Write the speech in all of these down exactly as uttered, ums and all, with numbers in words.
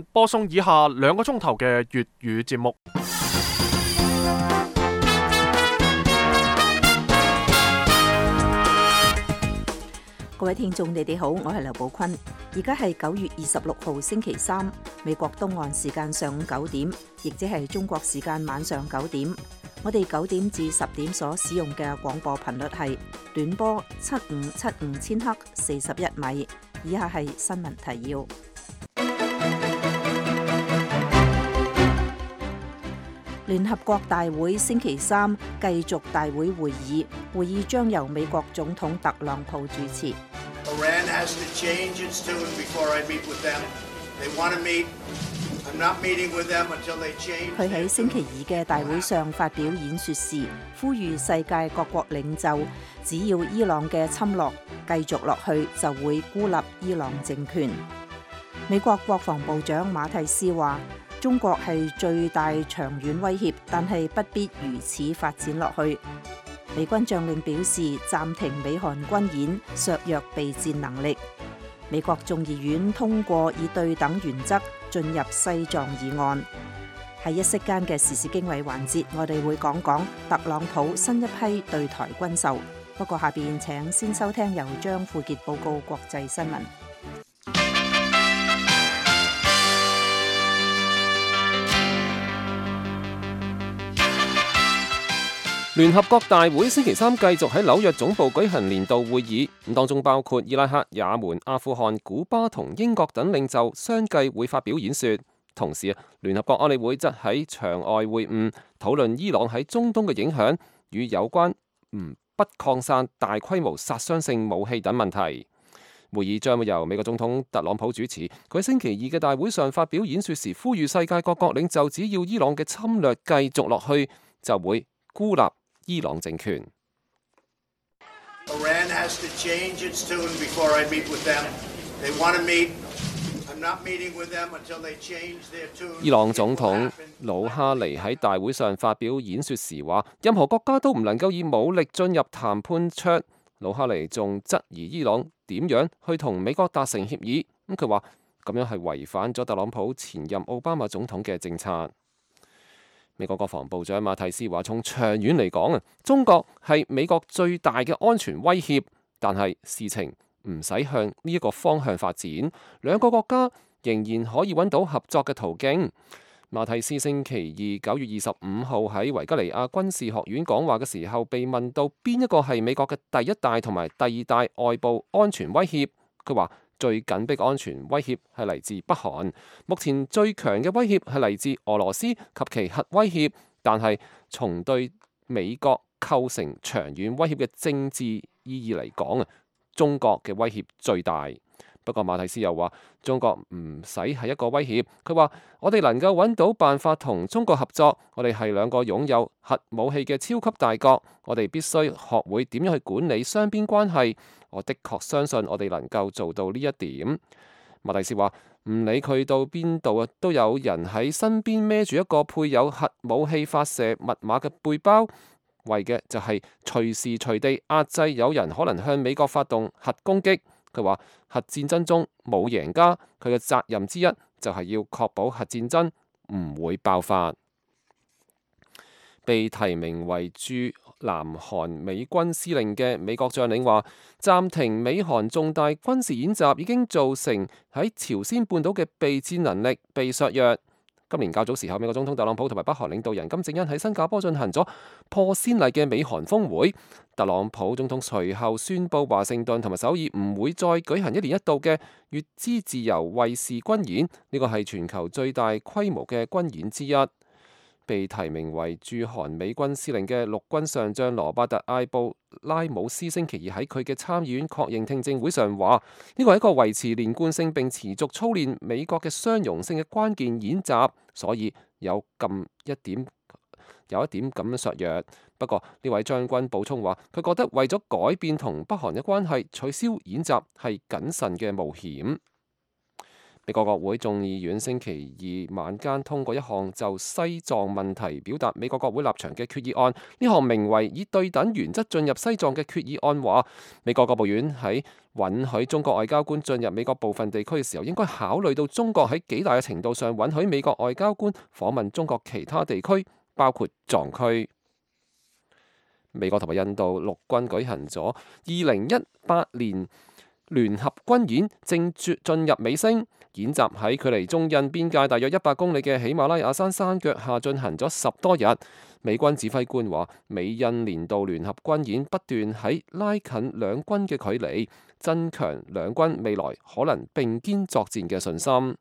播送以下兩個鐘頭嘅粵語節目。各位聽眾，你哋好，我係劉寶坤。而家係九月二十六號星期三，美國東岸時間上午九點，亦即係中國時間晚上九點。我哋九點至十點所使用嘅廣播頻率係短波七五七五千赫四十一米。以下係新聞提要。聯合國大會星期三繼續大會會議，會議將由美國總統特朗普主持。佢喺星期二嘅大會上發表演說時，呼籲世界各國領袖，只要伊朗嘅侵略繼續落去，就會孤立伊朗政權。美國國防部長馬蒂斯話，中國係最大長遠威脅，但係不必如此發展落去。美軍將領表示暫停美韓軍演，削弱備戰能力。美國眾議院通過以對等原則進入西藏議案。喺一息間嘅時事經緯環節，我哋會講講特朗普新一批對台軍售。不過下邊請先收聽由張富傑報告國際新聞。聯合國大會星期三繼續喺紐約總部舉行年度會議，咁當中包括伊拉克、也門、阿富汗、古巴同英國等領袖相繼會發表演說。同時啊，聯合國安理會則喺場外會晤，討論伊朗喺中東嘅影響與有關唔不擴散大規模殺傷性武器等問題。會議將會由美國總統特朗普主持。佢喺星期二嘅大會上發表演說時，呼籲世界各國領袖，只要伊朗嘅侵略繼續落去，就會孤立伊朗政權。伊朗總統魯哈尼喺大會上發表演說時話，任何國家都唔能夠以武力進入談判桌。魯哈尼仲質疑伊朗點樣去同美國達成協議，咁佢話咁樣係違反咗特朗普前任奧巴馬總統嘅政策。美國國防部長馬蒂斯話，從長遠嚟講啊，中國係美國最大嘅安全威脅，但係事情唔使向呢一個方向發展，兩個國家仍然可以揾到合作嘅途徑。馬蒂斯星期二九月二十五號喺維吉尼亞軍事學院講話嘅時候，被問到邊一個係美國嘅第一大同埋第二大外部安全威脅，佢話最緊迫安全威脅係嚟自北韓，目前最強嘅威脅係嚟自俄羅斯及其核威脅，但係從對美國構成長遠威脅嘅政治意義嚟講啊，中國嘅威脅最大。不過馬蒂斯又話，中國唔使係一個威脅，佢話我哋能夠揾到辦法同中國合作，我哋係兩個擁有核武器嘅超級大國，我哋必須學會點樣去管理雙邊關係。我的確相信我哋能夠做到呢一點。馬蒂斯話，唔理佢到邊度啊，都有人喺身邊孭住一個配有核武器發射密碼嘅背包，為嘅就係隨時隨地壓制有人可能向美國發動核攻擊。佢話核戰爭中冇贏家，佢嘅責任之一就係要確保核戰爭唔會爆發。被提名為駐南韓美軍司令嘅美國將領話，暫停美韓重大軍事演習已經造成喺朝鮮半島嘅備戰能力被削弱。今年較早時候，美國總統特朗普同埋北韓領導人金正恩喺新加坡進行咗破先例嘅美韓峰會。特朗普總統隨後宣布華盛頓同埋首爾唔會再舉行一年一度嘅乙支自由衛士軍演，呢個係全球最大規模嘅軍演之一。被提名為駐韓美軍司令嘅陸軍上將羅伯特艾布拉姆斯星期二喺佢嘅參議院確認聽證會上話，呢個係一個維持連貫性並持續操練美國嘅相容性嘅關鍵演習，所以有咁一點有一點咁樣削弱。不過呢位將軍補充話，佢覺得為咗改變同北韓嘅關係，取消演習係謹慎嘅冒險。美國國會眾議院星期二晚間通過一項就西藏問題表達美國國會立場嘅決議案。呢項名為以對等原則進入西藏嘅決議案話，美國國務院喺允許中國外交官進入美國部分地區嘅時候，應該考慮到中國喺幾大嘅程度上允許美國外交官訪問中國其他地區，包括藏區。美國同埋印度陸軍舉行咗二零一八年聯合軍演，正進入尾聲。演習喺距離中印邊界大約一百公里嘅喜馬拉雅山山腳下進行咗十多日。美軍指揮官話，美印年度聯合軍演不斷喺拉近兩軍嘅距離，增強兩軍未來可能並肩作戰嘅信心。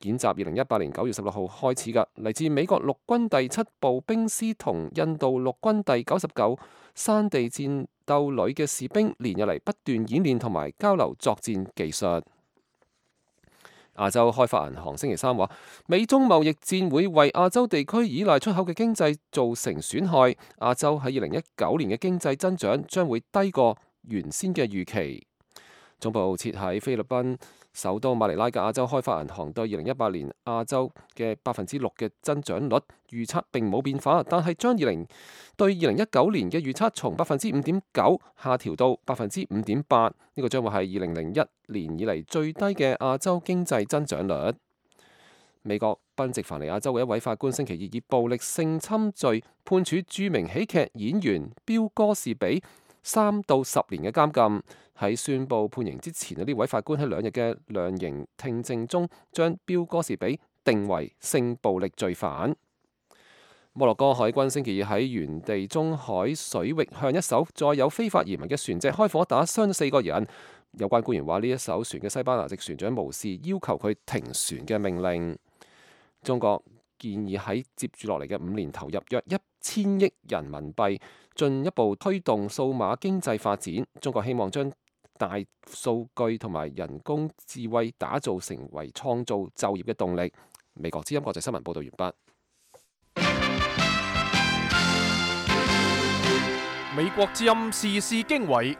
演習二零一八年九月十六號開始㗎，嚟自美國陸軍第七步兵師同印度陸軍第九十九山地戰鬥旅嘅士兵連日嚟不斷演練同埋交流作戰技術。亞洲開發銀行星期三話，美中貿易戰會為亞洲地區依賴出口嘅經濟造成損害。亞洲喺二零一九年嘅經濟增長將會低過原先嘅預期。總部設喺菲律賓首都馬尼拉嘅亞洲開發銀行對二零一八年亞洲嘅百分之六嘅增長率預測並冇變化，但係將二零對二零一九年嘅預測從百分之五點九下調到百分之五點八，呢個將會係二零零一年以嚟最低嘅亞洲經濟增長率。美國賓夕凡尼亞州嘅一位法官星期二以暴力性侵罪判處著名喜劇演員標哥士比三到十年嘅監禁。喺宣布判刑之前，呢位法官喺兩日嘅量刑聽證中，將標哥士比定為性暴力罪犯。摩洛哥海軍星期二喺原地中海水域向一艘載有非法移民嘅船隻開火，打傷咗四個人。有關官員話，呢一艘船嘅西班牙籍船長無視要求佢停船嘅命令。中國建議喺接住落嚟嘅五年投入約一千億人民幣，進一步推動數碼經濟發展。中國希望將大數據同埋人工智慧打造成為創造就業嘅動力。美國之音國際新聞報道完畢。美國之音時事經緯，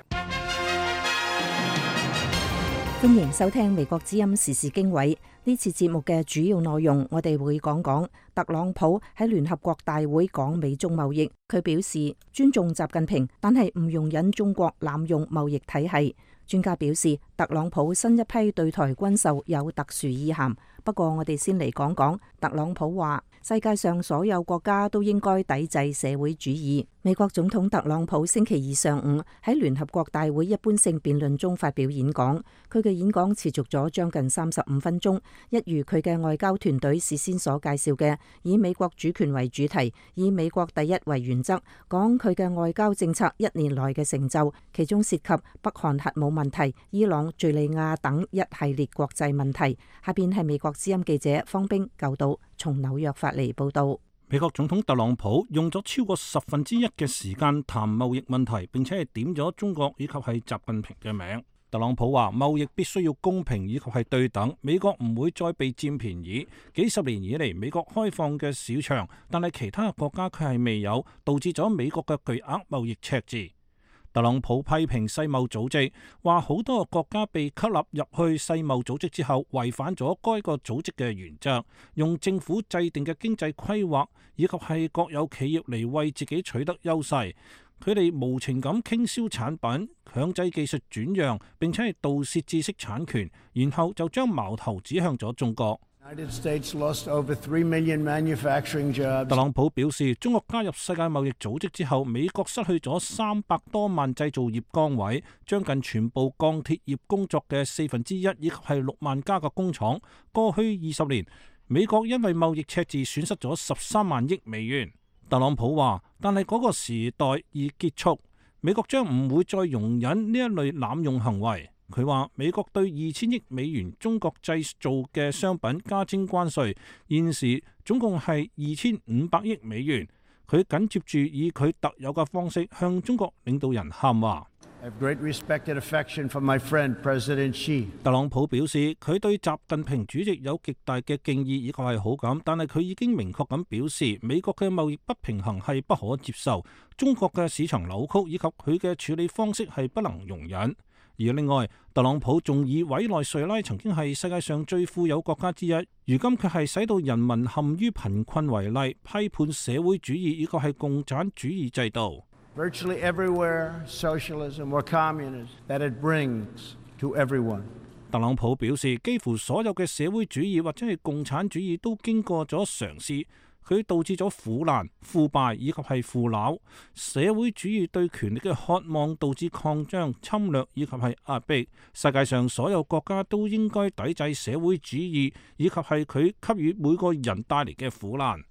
歡迎收聽美國之音時事經緯。呢次節目嘅主要內容，我哋會講講特朗普喺聯合國大會講美中貿易，佢表示尊重習近平，但係唔容忍中國濫用貿易體系。專家表示，特朗普新一批對台軍售有特殊意涵。不過我哋先嚟講講，特朗普話世界上所有國家都應該抵制社會主義。美國總統特朗普星期二上午喺聯合國大會一般性辯論中發表演講，佢嘅演講持續咗將近三十五分鐘，一如佢嘅外交團隊事先所介紹嘅，以美國主權為主題，以美國第一為原則，講佢嘅外交政策一年來嘅成就，其中涉及北韓核武問題、伊朗、敘利亞等一系列國際問題。下邊係美國之音記者方冰舊島從紐約發嚟報道。美國總統特朗普用咗超過十分之一嘅時間談貿易問題，並且係點咗中國以及係習近平嘅名。特朗普話貿易必須要公平以及係對等，美國唔會再被佔便宜。幾十年以嚟，美國開放嘅市場，但係其他國家卻係未有，導致咗美國嘅巨額貿易赤字。特朗普批評世貿組織，話好多個國家被吸納入去世貿組織之後，違反咗該個組織嘅原則，用政府制定嘅經濟規劃以及係國有企業嚟為自己取得優勢。佢哋無情咁傾銷產品，強制技術轉讓，並且係盜竊知識產權，然後就將矛頭指向咗中國。特朗普表示，中國加入世界貿易組織之後，美國失去咗三百多萬製造業崗位，將近全部鋼鐵業工作嘅四分之一，以及係六萬家嘅工廠。過去二十年，美國因為貿易赤字損失咗十三萬億美元。特朗普話，但係嗰個時代已結束，美國將唔會再容忍呢一類濫用行為。佢話美國對二千億美元中國製造嘅商品加徵關稅，現時總共係二千五百億美元。佢緊接住以佢特有嘅方式向中國領導人喊話。特朗普表示，佢對習近平主席有極大嘅敬意以及係好感，但係佢已經明確咁表示，美國嘅貿易不平衡係不可接受，中國嘅市場扭曲以及佢嘅處理方式係不能容忍。而另外，特朗普仲以委內瑞拉曾經係世界上最富有國家之一，如今卻係使到人民陷於貧困為例，批判社會主義以及係共產主義制度。Virtually everywhere, socialism or communism that it brings to everyone. 特朗普表示，幾乎所有嘅社會主義或者係共產主義都經過咗嘗試。佢導致咗苦難、腐敗以及係腐朽。社會主義對權力嘅渴望導致擴張、侵略以及係壓迫。世界上所有國家都應該抵制社會主義以及係佢給予每個人帶嚟嘅苦難。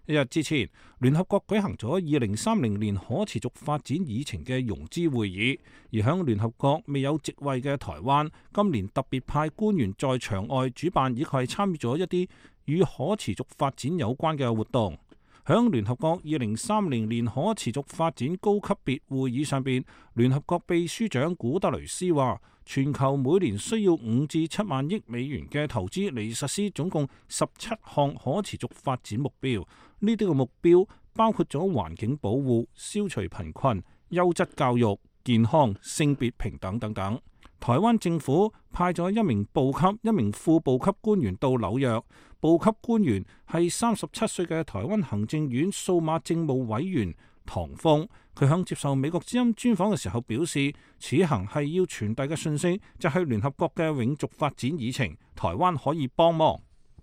一日之前，聯合國舉行咗二零三零年可持續發展議程嘅融資會議，而響聯合國未有席位嘅台灣，今年特別派官員在場外主辦以及係參與咗一啲與可持續發展有關嘅活動。響聯合國二零三零年可持續發展高級別會議上邊，聯合國秘書長古特雷斯話，全球每年需要五至七萬億美元嘅投資嚟實施總共十七項可持續發展目標。呢啲嘅目標包括咗環境保護、消除貧困、優質教育、健康、性別平等等等。台灣政府派咗一名部級、一名副部級官員到紐約。部級官員係三十七歲嘅台灣行政院數碼政務委員唐峰。佢響接受美國之音專訪嘅時候表示，此行係要傳遞嘅訊息就係聯合國嘅永續發展議程，台灣可以幫忙。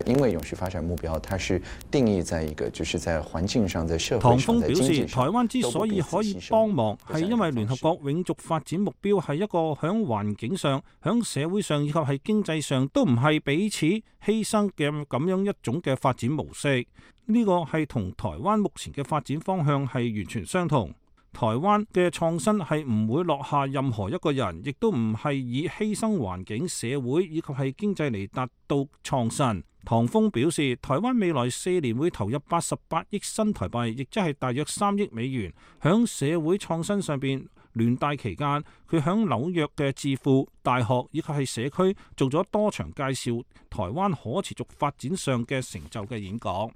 因為永續發展目標，它是定義在一個，就是在環境上、在社會上。唐峰峰表示，台灣之所以可以幫忙，係因為聯合國永續發展目標係一個響環境上、響社會上以及係經濟上都唔係彼此犧牲嘅咁樣一種嘅發展模式。呢個係同台灣目前嘅發展方向係完全相同。台灣嘅創新係唔會落下任何一個人，亦都唔係以犧牲環境、社會以及係經濟嚟達到創新。唐峰表示，台灣未來四年會投入八十八億新台幣，亦即係大約三億美元，響社會創新上邊。聯大期間，佢響紐約嘅智庫、大學以及係社區做咗多場介紹台灣可持續發展上嘅成就嘅演講。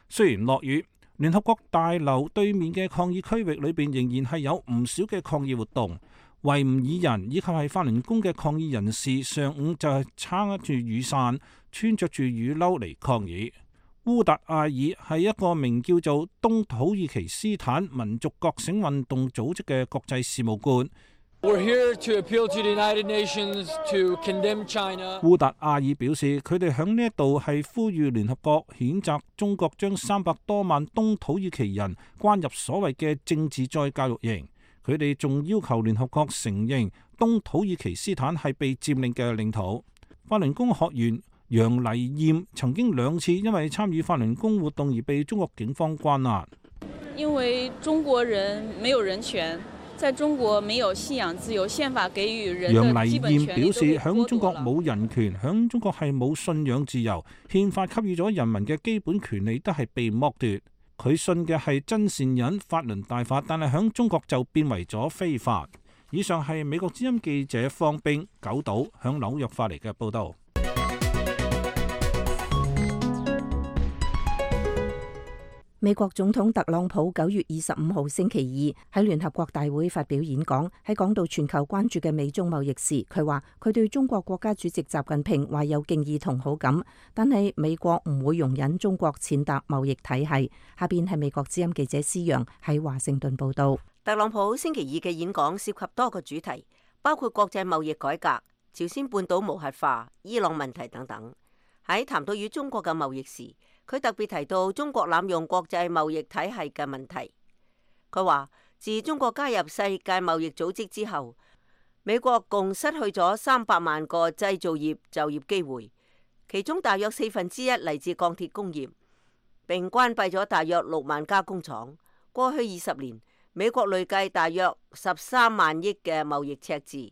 雖然落雨，聯合國大樓對面嘅抗議區域裏邊仍然係有唔少嘅抗議活動。維吾爾人以及係法輪功嘅抗議人士上午就係撐住雨傘，穿着住雨褸嚟抗議。烏達阿爾係一個名叫做東土耳其斯坦民族覺醒運動組織嘅國際事務官。烏達阿爾表示，佢哋響呢一度係呼籲聯合國譴責中國將三百多萬東土耳其人關入所謂嘅政治再教育營。佢哋仲要求聯合國承認東土耳其斯坦係被佔領嘅領土。法輪功學員楊麗艷曾經兩次因為參與法輪功活動而被中國警方關押。因為中國人沒有人權，在中國沒有信仰自由，憲法給予人的基本權利都被剝奪了。楊麗艷表示，響中國冇人權，響中國係冇信仰自由，憲法給予咗人民嘅基本權利都係被剝奪。佢信嘅係真善忍法輪大法，但係響中國就變為咗非法。以上係美國之音記者方冰九島響紐約發嚟嘅報道。美國總統特朗普九月二十五號星期二喺聯合國大會發表演講，喺講到全球關注嘅美中貿易時，佢話佢對中國國家主席習近平懷有敬意同好感，但係美國唔會容忍中國踐踏貿易體系。下邊係美國之音記者施陽喺華盛頓報道。特朗普星期二嘅演講涉及多個主題，包括國際貿易改革、朝鮮半島無核化、伊朗問題等等。喺談到與中國嘅貿易時，佢特別提到中國濫用國際貿易體系嘅問題。佢話自中國加入世界貿易組織之後，美國共失去咗三百萬個製造業就業機會，其中大約四分之一嚟自鋼鐵工業，並關閉咗大約六萬家工廠。過去二十年，美國累計大約十三萬億嘅貿易赤字。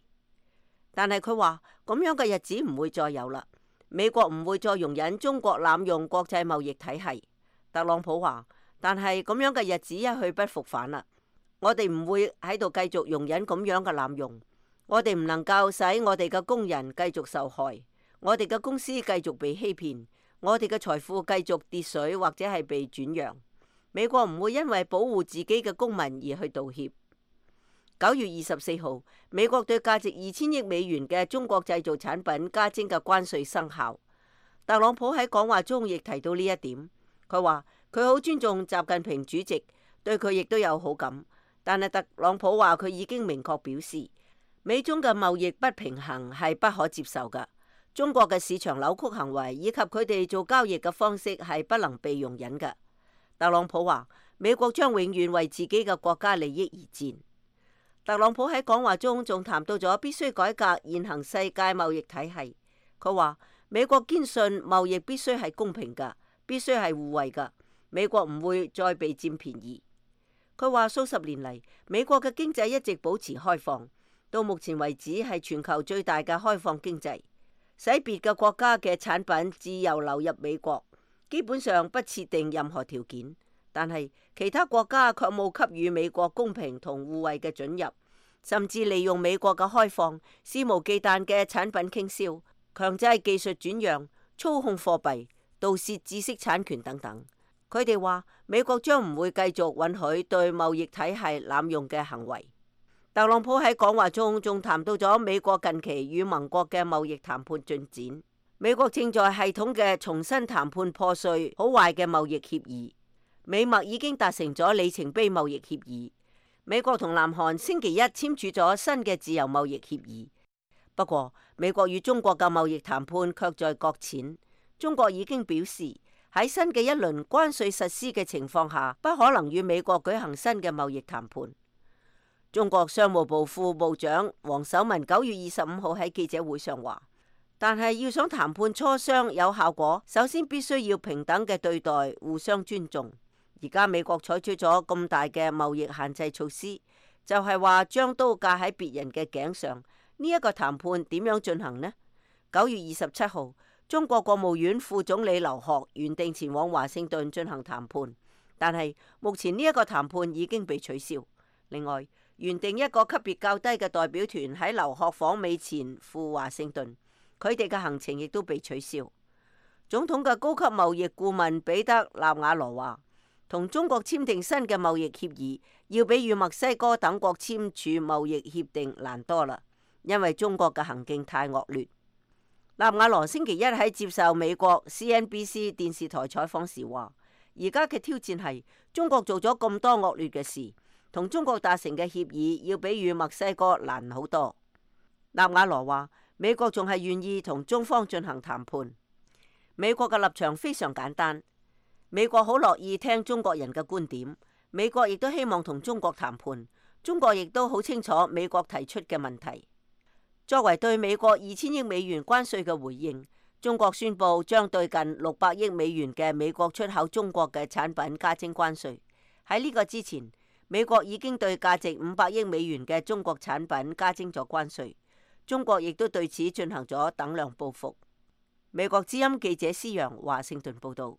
但係佢話咁樣嘅日子唔會再有啦。美國唔會再容忍中國濫用國際貿易體系。特朗普話，但係咁樣嘅日子一去不復返啦。我哋唔會喺度繼續容忍咁樣嘅濫用。我哋唔能夠使我哋嘅工人繼續受害，我哋嘅公司繼續被欺騙，我哋嘅財富繼續跌水或者係被轉讓。美國唔會因為保護自己嘅公民而去道歉。九月二十四號，美國對價值二千億美元嘅中國製造產品加徵嘅關稅生效。特朗普喺講話中亦提到呢一點，佢話佢好尊重習近平主席，對佢亦都有好感。但係特朗普話佢已經明確表示，美中嘅貿易不平衡係不可接受㗎。中國嘅市場扭曲行為以及佢哋做交易嘅方式係不能被容忍㗎。特朗普話美國將永遠為自己嘅國家利益而戰。特朗普喺講話中仲談到咗必須改革現行世界貿易體系。佢話美國堅信貿易必須係公平㗎，必須係互惠㗎，美國唔會再被佔便宜。佢話數十年嚟，美國嘅經濟一直保持開放，到目前為止係全球最大嘅開放經濟，使別嘅國家嘅產品自由流入美國，基本上不設定任何條件。但係其他國家卻冇給予美國公平同互惠嘅准入，甚至利用美國嘅開放，肆無忌憚嘅產品傾銷，強制技術轉讓、操控貨幣、盜竊知識產權等等。佢哋話美國將唔會繼續允許對貿易體系濫用嘅行為。特朗普喺講話中仲談到咗美國近期與盟國嘅貿易談判進展。美國正在系統嘅重新談判破碎好壞嘅貿易協議。美墨已經達成咗里程碑貿易協議。美國同南韓星期一簽署咗新嘅自由貿易協議。不過，美國與中國嘅貿易談判卻在擱淺。中國已經表示喺新嘅一輪關稅實施嘅情況下，不可能與美國舉行新嘅貿易談判。中國商務部副部長王守文九月二十五號喺記者會上話，但係要想談判磋商有效果，首先必須要平等嘅對待，互相尊重。而家美國採取咗咁大嘅貿易限制措施，就係話將刀架喺別人嘅頸上。呢一個談判點樣進行呢？九月二十七號，中國國務院副總理劉鶴原定前往華盛頓進行談判，但係目前呢一個談判已經被取消。另外，原定一個級別較低嘅代表團喺劉鶴訪美前赴華盛頓，佢哋嘅行程亦都被取消。總統嘅高級貿易顧問彼得納瓦羅話，同中國簽訂新嘅貿易協議，要比與墨西哥等國簽署貿易協定難多啦，因為中國嘅行徑太惡劣。納瓦羅星期一喺接受美國 C N B C 電視台採訪時話，而家嘅挑戰係中國做咗咁多惡劣嘅事，同中國達成嘅協議要比與墨西哥難好多。納瓦羅話，美國仲係願意同中方進行談判。美國嘅立場非常簡單。美國好樂意聽中國人嘅觀點，美國亦都希望同中國談判，中國亦都好清楚美國提出嘅問題。作為對美國二千億美元關稅嘅回應，中國宣布將對近六百億美元嘅美國出口中國嘅產品加徵關稅。喺呢個之前，美國已經對價值五百億美元嘅中國產品加徵咗關稅，中國亦都對此進行咗等量報復。美國之音記者施洋華盛頓報道。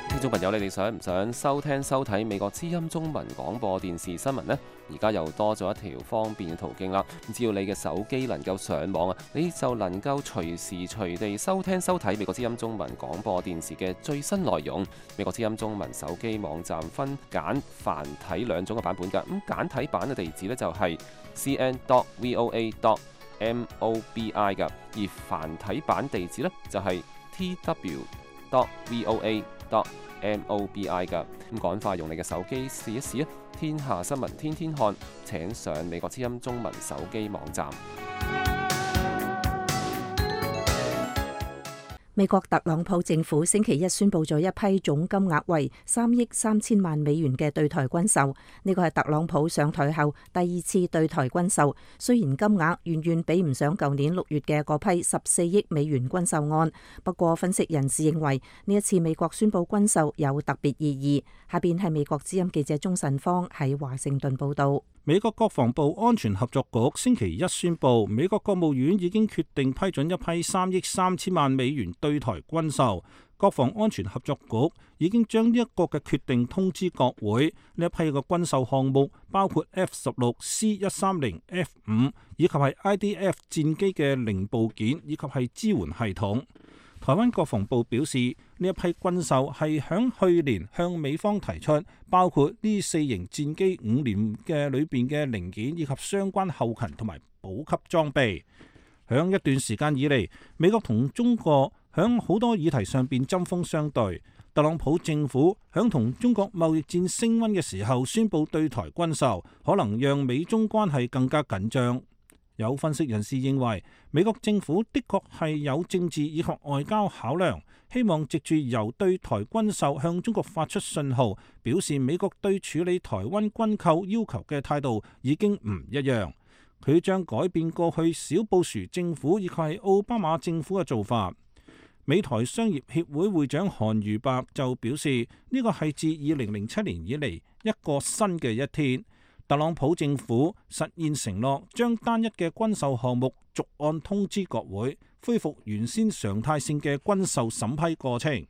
聽眾朋友，你哋想唔想收聽收睇美國之音中文廣播電視新聞呢？而家又多咗一條方便嘅途徑啦！只要你嘅手機能夠上網啊，你就能夠隨時隨地收聽收睇美國之音中文廣播電視嘅最新內容。美國之音中文手機網站分簡繁體兩種嘅版本㗎。咁簡體版嘅地址呢，就係 c n dot voa dot mobi 㗎，而繁體版地址呢，就係 t w dot voa dot mobi 㗎。咁趕快用你嘅手機試一試啊！天下新聞天天看，請上美國之音中文手機網站。美國特朗普政府星期一宣布咗一批總金額為三億三千萬美元嘅對台軍售，呢個係特朗普上台後第二次對台軍售。雖然金額遠遠比唔上舊年六月嘅嗰批十四億美元軍售案，不過分析人士認為呢一次美國宣布軍售有特別意義。下邊係美國之音記者鍾晨芳喺華盛頓報道。美國國防部安全合作局星期一宣布，美國國務院已經決定批准一批三億三千萬美元對台軍售。國防安全合作局已經將呢一個嘅決定通知國會。呢一批嘅軍售項目包括 F 十六 C 一三零 F 五以及係 I D F 戰機嘅零部件以及係支援系統。台灣國防部表示，呢一批軍售係響去年向美方提出，包括呢四型戰機五年嘅裏邊嘅零件以及相關後勤同埋補給裝備。響一段時間以嚟，美國同中國響好多議題上邊針鋒相對。特朗普政府響同中國貿易戰升溫嘅時候宣布對台軍售，可能讓美中關係更加緊張。有分析人士認為，美國政府的確係有政治以及外交考量，希望藉住由對台軍售向中國發出信號，表示美國對處理台灣軍購要求嘅態度已經唔一樣。佢將改變過去小布殊政府以及係奧巴馬政府嘅做法。美台商業協會會長韓如白就表示，呢個係自二零零七年以嚟一個新嘅一天。特朗普政府實現承諾，將單一嘅軍售項目逐案通知國會，恢復原先常態性嘅軍售審批過程。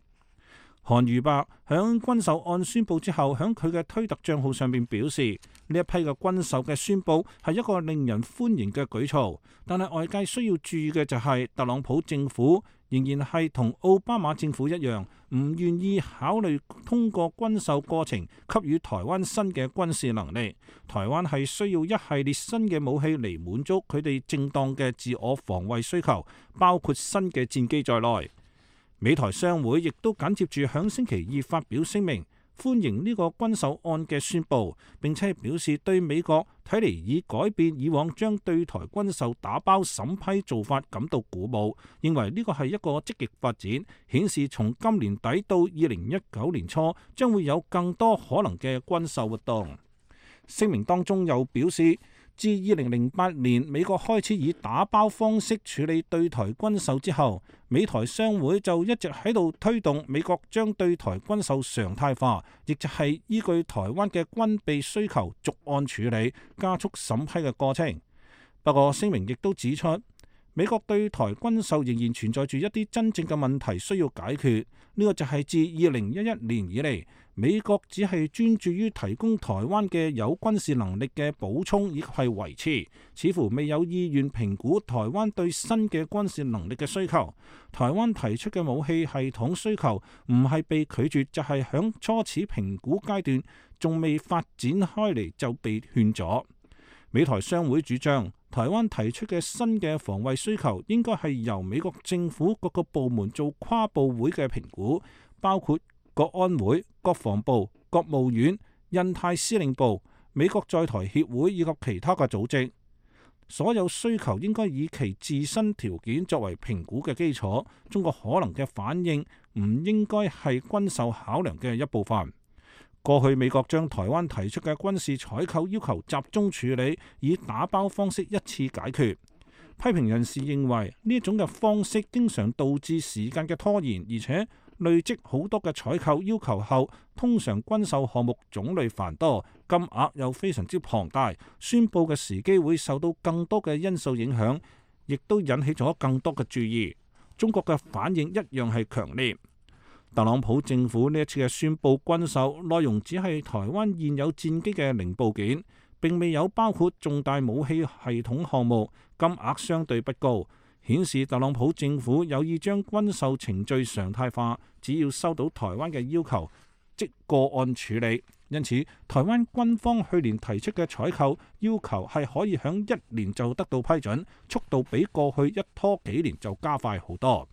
韓如白響軍售案宣布之後，響佢嘅推特賬號上面表示，呢一批嘅軍售嘅宣布係一個令人歡迎嘅舉措，但係外界需要注意嘅就係特朗普政府仍然係同奧巴馬政府一樣，唔願意考慮通過軍售過程給予台灣新嘅軍事能力。台灣係需要一系列新嘅武器嚟滿足佢哋正當嘅自我防衛需求，包括新嘅戰機在內。美台商會亦都緊接住響星期二發表聲明，歡迎呢個軍售案嘅宣佈，並且表示對美國睇嚟已改變以往將對台軍售打包審批做法感到鼓舞，認為呢個係一個積極發展，顯示從今年底到二零一九年初將會有更多可能嘅軍售活動。聲明當中又表示，自二零零八年美國開始以打包方式處理對台軍售之後，美台商會就一直喺度推動美國將對台軍售常態化，亦就係依據台灣嘅軍備需求逐案處理，加速審批嘅過程。不過聲明亦都指出，美國對台軍售仍然存在住一啲真正嘅問題需要解決。呢個就係自二零一一年以嚟，美國只係專注於提供台灣嘅有軍事能力嘅補充以及係維持，似乎未有意願評估台灣對新嘅軍事能力嘅需求。台灣提出嘅武器系統需求唔係被拒絕，就係響初始評估階段仲未發展開嚟就被勸咗。美台商會主張，台灣提出嘅新嘅防衛需求應該係由美國政府各個部門做跨部會嘅評估，包括國安會、國防部、國務院、印太司令部、美國在台協會以及其他嘅組織。所有需求應該以其自身條件作為評估嘅基礎。中國可能嘅反應唔應該係軍售考量嘅一部分。過去美國將台灣提出嘅軍事採購要求集中處理，以打包方式一次解決。批評人士認為呢一種嘅方式經常導致時間嘅拖延，而且累積好多嘅採購要求後，通常軍售項目種類繁多，金額又非常之龐大，宣佈嘅時機會受到更多嘅因素影響，亦都引起咗更多嘅注意。中國嘅反應一樣係強烈。特朗普政府呢一次嘅宣佈軍售內容只係台灣現有戰機嘅零部件，並未有包括重大武器系統項目，金額相對不高，顯示特朗普政府有意將軍售程序常態化，只要收到台灣嘅要求，即個案處理。因此，台灣軍方去年提出嘅採購要求係可以響一年就得到批准，速度比過去一拖幾年就加快好多。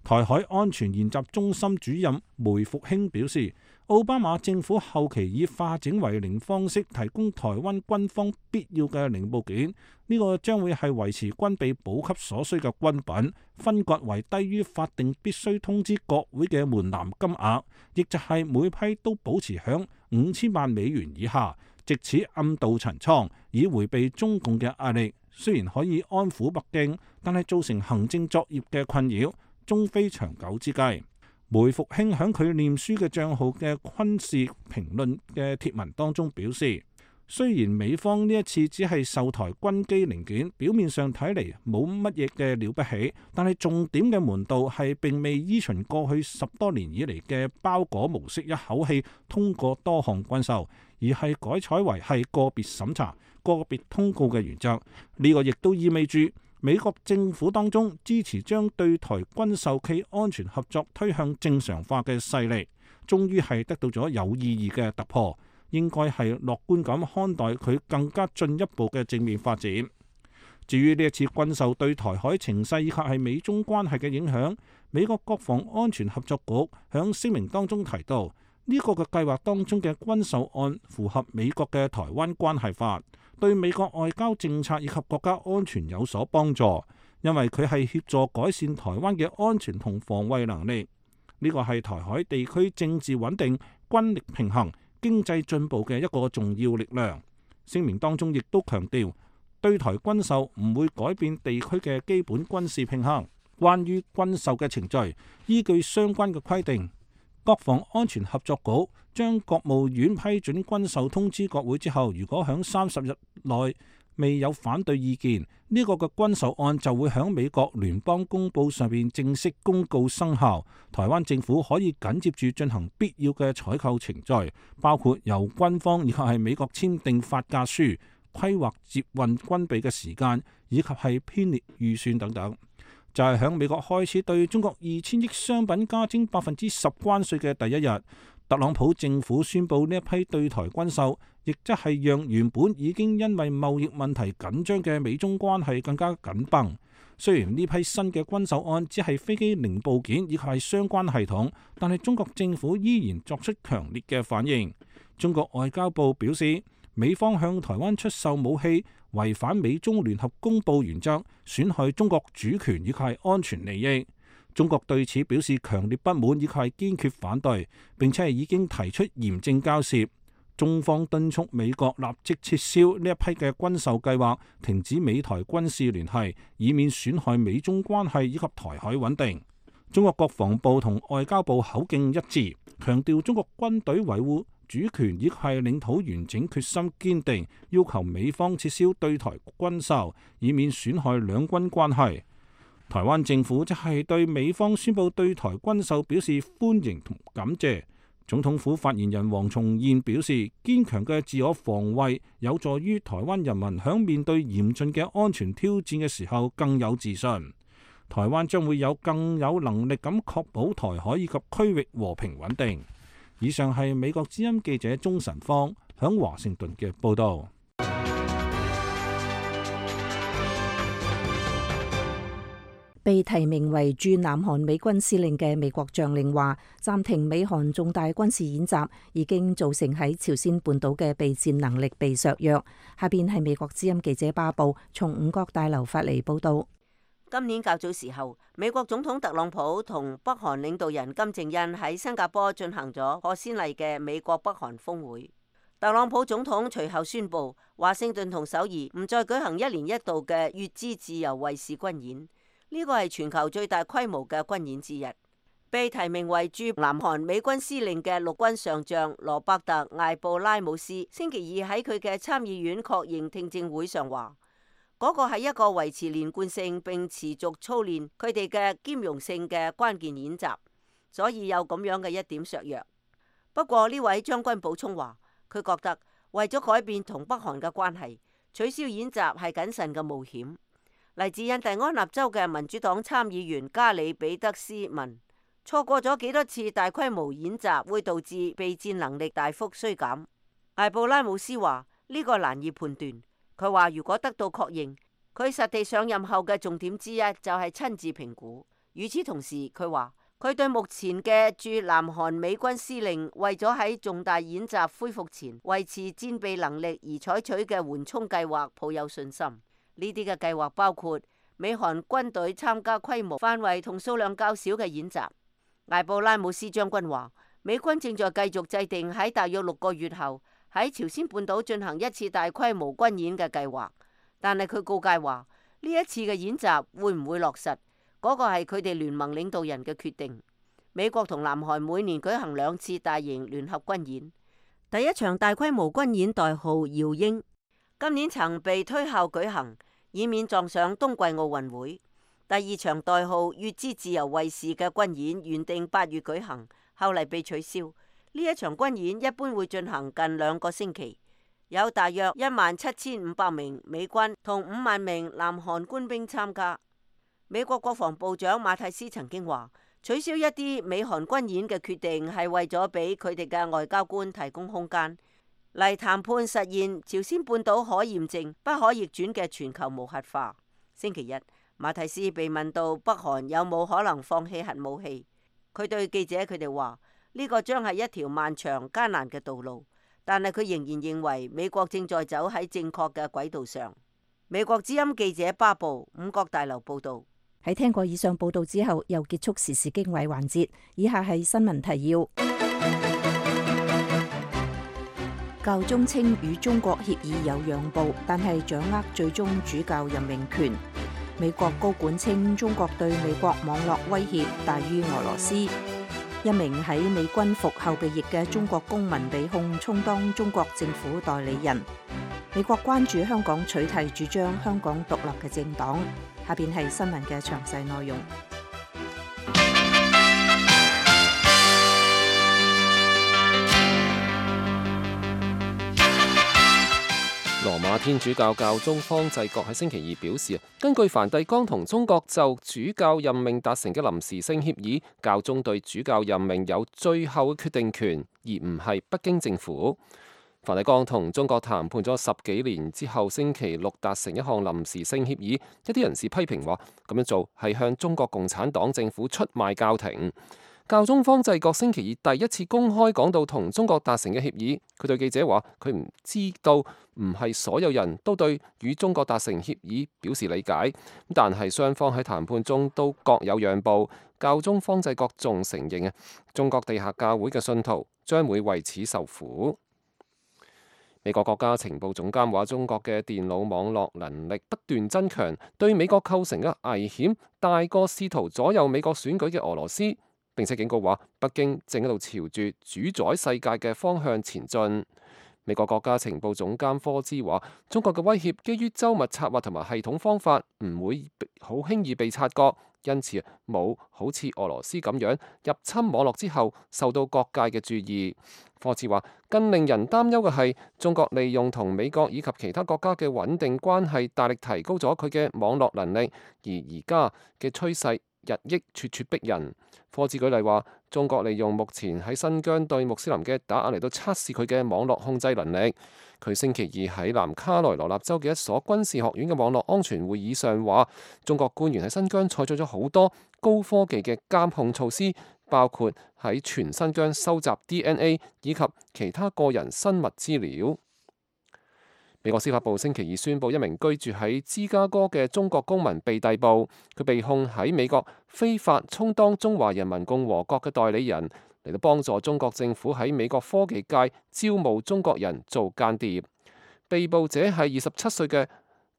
台海安全研習中心主任梅復興表示，奧巴馬政府後期以化整為零方式提供台灣軍方必要嘅零部件，呢個將會係維持軍備補給所需嘅軍品，分割為低於法定必須通知國會嘅門檻金額，亦就係每批都保持響五千萬美元以下，藉此暗度陳倉，以迴避中共嘅壓力。雖然可以安撫北京，但係造成行政作業嘅困擾，終非長久之計。梅復興喺佢臉書嘅帳號嘅軍事評論嘅貼文當中表示，雖然美方呢一次只係售台軍機零件，表面上睇嚟冇乜嘢嘅了不起，但係重點嘅門道係並未依循過去十多年以嚟嘅包裹模式，一口氣通過多項軍售，而係改採為係個別審查、個別通告嘅原則。呢、這個亦都意味住美國政府當中支持將對台軍售暨安全合作推向正常化嘅勢力，終於係得到咗有意義嘅突破，應該係樂觀咁看待佢更加進一步嘅正面發展。至於呢一次軍售對台海情勢以及係美中關係嘅影響，美國國防安全合作局響聲明當中提到，呢、這個嘅計劃當中嘅軍售案符合美國嘅台灣關係法，對美國外交政策以及國家安全有所幫助，因為佢係協助改善台灣嘅安全同防衛能力。呢、這個係台海地區政治穩定、軍力平衡、經濟進步嘅一個重要力量。聲明當中亦都強調，對台軍售唔會改變地區嘅基本軍事平衡。關於軍售嘅程序，依據相關嘅規定，國防安全合作局將國務院批准軍售通知國會之後，如果響三十日內未有反對意見，呢、這個嘅軍售案就會響美國聯邦公報上面正式公告生效。台灣政府可以緊接住進行必要嘅採購程序，包括由軍方以及係美國簽訂發價書、規劃接運軍備嘅時間，以及係編列預算等等。就係響美國開始對中國二千億商品加徵百分之十關稅嘅第一日，特朗普政府宣布呢一批對台軍售，亦即係讓原本已經因為貿易問題緊張嘅美中關係更加緊繃。雖然呢批新嘅軍售案只係飛機零部件以及係相關系統，但係中國政府依然作出強烈嘅反應。中國外交部表示，美方向台灣出售武器，違反美中聯合公報原則，損害中國主權以及係安全利益。中國對此表示強烈不滿以及係堅決反對，並且係已經提出嚴正交涉。中方敦促美國立即撤銷呢一批嘅軍售計劃，停止美台軍事聯繫，以免損害美中關係以及台海穩定。中國國防部同外交部口徑一致，強調中國軍隊維護主權以及係領土完整決心堅定，要求美方撤銷對台軍售，以免損害兩軍關係。台灣政府則係對美方宣布對台軍售表示歡迎同感謝。總統府發言人黃重彥表示，堅強嘅自我防衛有助於台灣人民響面對嚴峻嘅安全挑戰嘅時候更有自信。台灣將會有更有能力咁確保台海以及區域和平穩定。以上係美國之音記者鍾晨芳響華盛頓嘅報道。被提名為駐南韓美軍司令嘅美國將領話，暫停美韓重大軍事演習已經造成喺朝鮮半島嘅備戰能力被削弱。下邊係美國之音記者巴布從五角大樓發嚟報道。今年較早時候，美國總統特朗普同北韓領導人金正恩喺新加坡進行咗破先例嘅美國北韓峰會。特朗普總統隨後宣布，華盛頓同首爾唔再舉行一年一度嘅乙支自由衛士軍演。呢個係全球最大規模嘅軍演之一。被提名為駐南韓美軍司令嘅陸軍上將羅伯特艾布拉姆斯星期二喺佢嘅參議院確認聽證會上話，嗰個係一個維持連貫性並持續操練佢哋嘅兼容性嘅關鍵演習，所以有咁樣嘅一點削弱。不過呢位將軍補充話，佢覺得為咗改變同北韓嘅關係，取消演習係謹慎嘅冒險。嚟自印第安納州嘅民主黨參議員加里比德斯問，錯過咗幾多次大規模演習會導致備戰能力大幅衰減？艾布拉姆斯話呢個難以判斷。佢話如果得到確認，佢實地上任後嘅重點之一就係親自評估。與此同時，佢話佢對目前嘅駐南韓美軍司令為咗喺重大演習恢復前維持戰備能力而採取嘅緩衝計劃抱有信心。呢啲嘅計劃包括美韓軍隊參加規模、範圍同數量較少嘅演習。艾布拉姆斯將軍話，美軍正在繼續制定喺大約六個月後喺朝鮮半島進行一次大規模軍演嘅計劃。但係佢告誡話，呢一次嘅演習會唔會落實，嗰個係佢哋聯盟領導人嘅決定。美國同南韓每年舉行兩次大型聯合軍演。第一場大規模軍演代號耀英，今年曾被推後舉行，以免撞上冬季奧運會。第二場代號乙支自由衛士嘅軍演原定八月舉行，後嚟被取消。呢一場軍演一般會進行近兩個星期。有大約一萬七千五百名美軍同五萬名南韓官兵參加。美國國防部長馬蒂斯曾經話，取消一啲美韓軍演嘅決定係為咗俾佢哋嘅外交官提供空間嚟談判實現朝鮮半島可驗證、不可逆轉嘅全球無核化。星期日，馬蒂斯被問到北韓有冇可能放棄核武器，佢對記者佢哋話：呢個將係一條漫長艱難嘅道路，但係佢仍然認為美國正在走喺正確嘅軌道上。美國之音記者巴布五角大樓報道。喺聽過以上報道之後，又結束時事經緯環節。以下係新聞提要。教宗稱與中國協議有讓步，但係掌握最終主教任命權。美國高管稱中國對美國網絡威脅大於俄羅斯。一名喺美軍服後備役嘅中國公民被控充當中國政府代理人。美國關注香港取締主張香港獨立嘅政黨。下邊係新聞嘅詳細內容。羅馬天主教教宗方濟各喺星期二表示，根據梵蒂岡同中國就主教任命達成嘅臨時性協議，教宗對主教任命有最後決定權，而唔係北京政府。梵蒂岡同中國談判咗十幾年之後，星期六達成一項臨時性協議。一啲人士批評話，咁樣做係向中國共產黨政府出賣教廷。教宗方濟各星期二第一次公開講到同中國達成嘅協議。佢對記者話，佢唔知道唔係所有人都對與中國達成協議表示理解，但係雙方喺談判中都各有讓步。教宗方濟各仲承認啊，中國地下教會嘅信徒將會為此受苦。美國國家情報總監話，中國嘅電腦網絡能力不斷增強，對美國構成嘅危險大過試圖左右美國選舉嘅俄羅斯。並且警告話，北京正喺度朝住主宰世界嘅方向前進。美國國家情報總監科茲話，中國嘅威脅基於周密策劃同埋系統方法，唔會好輕易被察覺，因此冇好似俄羅斯咁樣入侵網絡之後受到各界嘅注意。科茲話，更令人擔憂嘅係，中國利用同美國以及其他國家嘅穩定關係，大力提高咗佢嘅網絡能力，而而家嘅趨勢日益咄咄逼人。科茲舉例話，中國利用目前喺新疆對穆斯林嘅打壓嚟到測試佢嘅網絡控制能力。佢星期二喺南卡羅來納州嘅一所軍事學院嘅網絡安全會議上話，中國官員喺新疆採取咗好多高科技嘅監控措施，包括喺全新疆收集 D N A 以及其他個人生物資料。美國司法部星期二宣布，一名居住喺芝加哥嘅中國公民被逮捕，佢被控喺美國非法充當中華人民共和國嘅代理人，嚟到幫助中國政府喺美國科技界招募中國人做間諜。被捕者係二十七歲嘅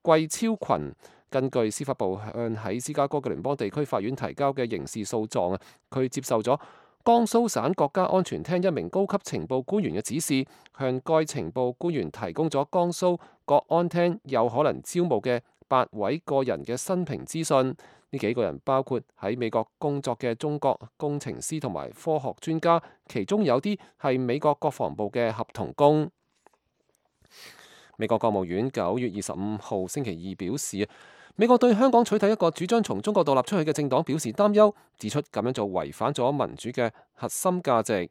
季超群。根據司法部向喺芝加哥嘅聯邦地區法院提交嘅刑事訴狀啊，佢接受咗江蘇省國家安全廳一名高級情報官員嘅指示，向該情報官員提供咗江蘇國安廳有可能招募嘅八位個人嘅生平資訊。呢幾個人包括喺美國工作嘅中國工程師同埋科學專家，其中有啲係美國國防部嘅合同工。美國國務院九月二十五號星期二表示，美國對香港取締一個主張從中國獨立出去嘅政黨表示擔憂，指出咁樣做違反咗民主嘅核心價值。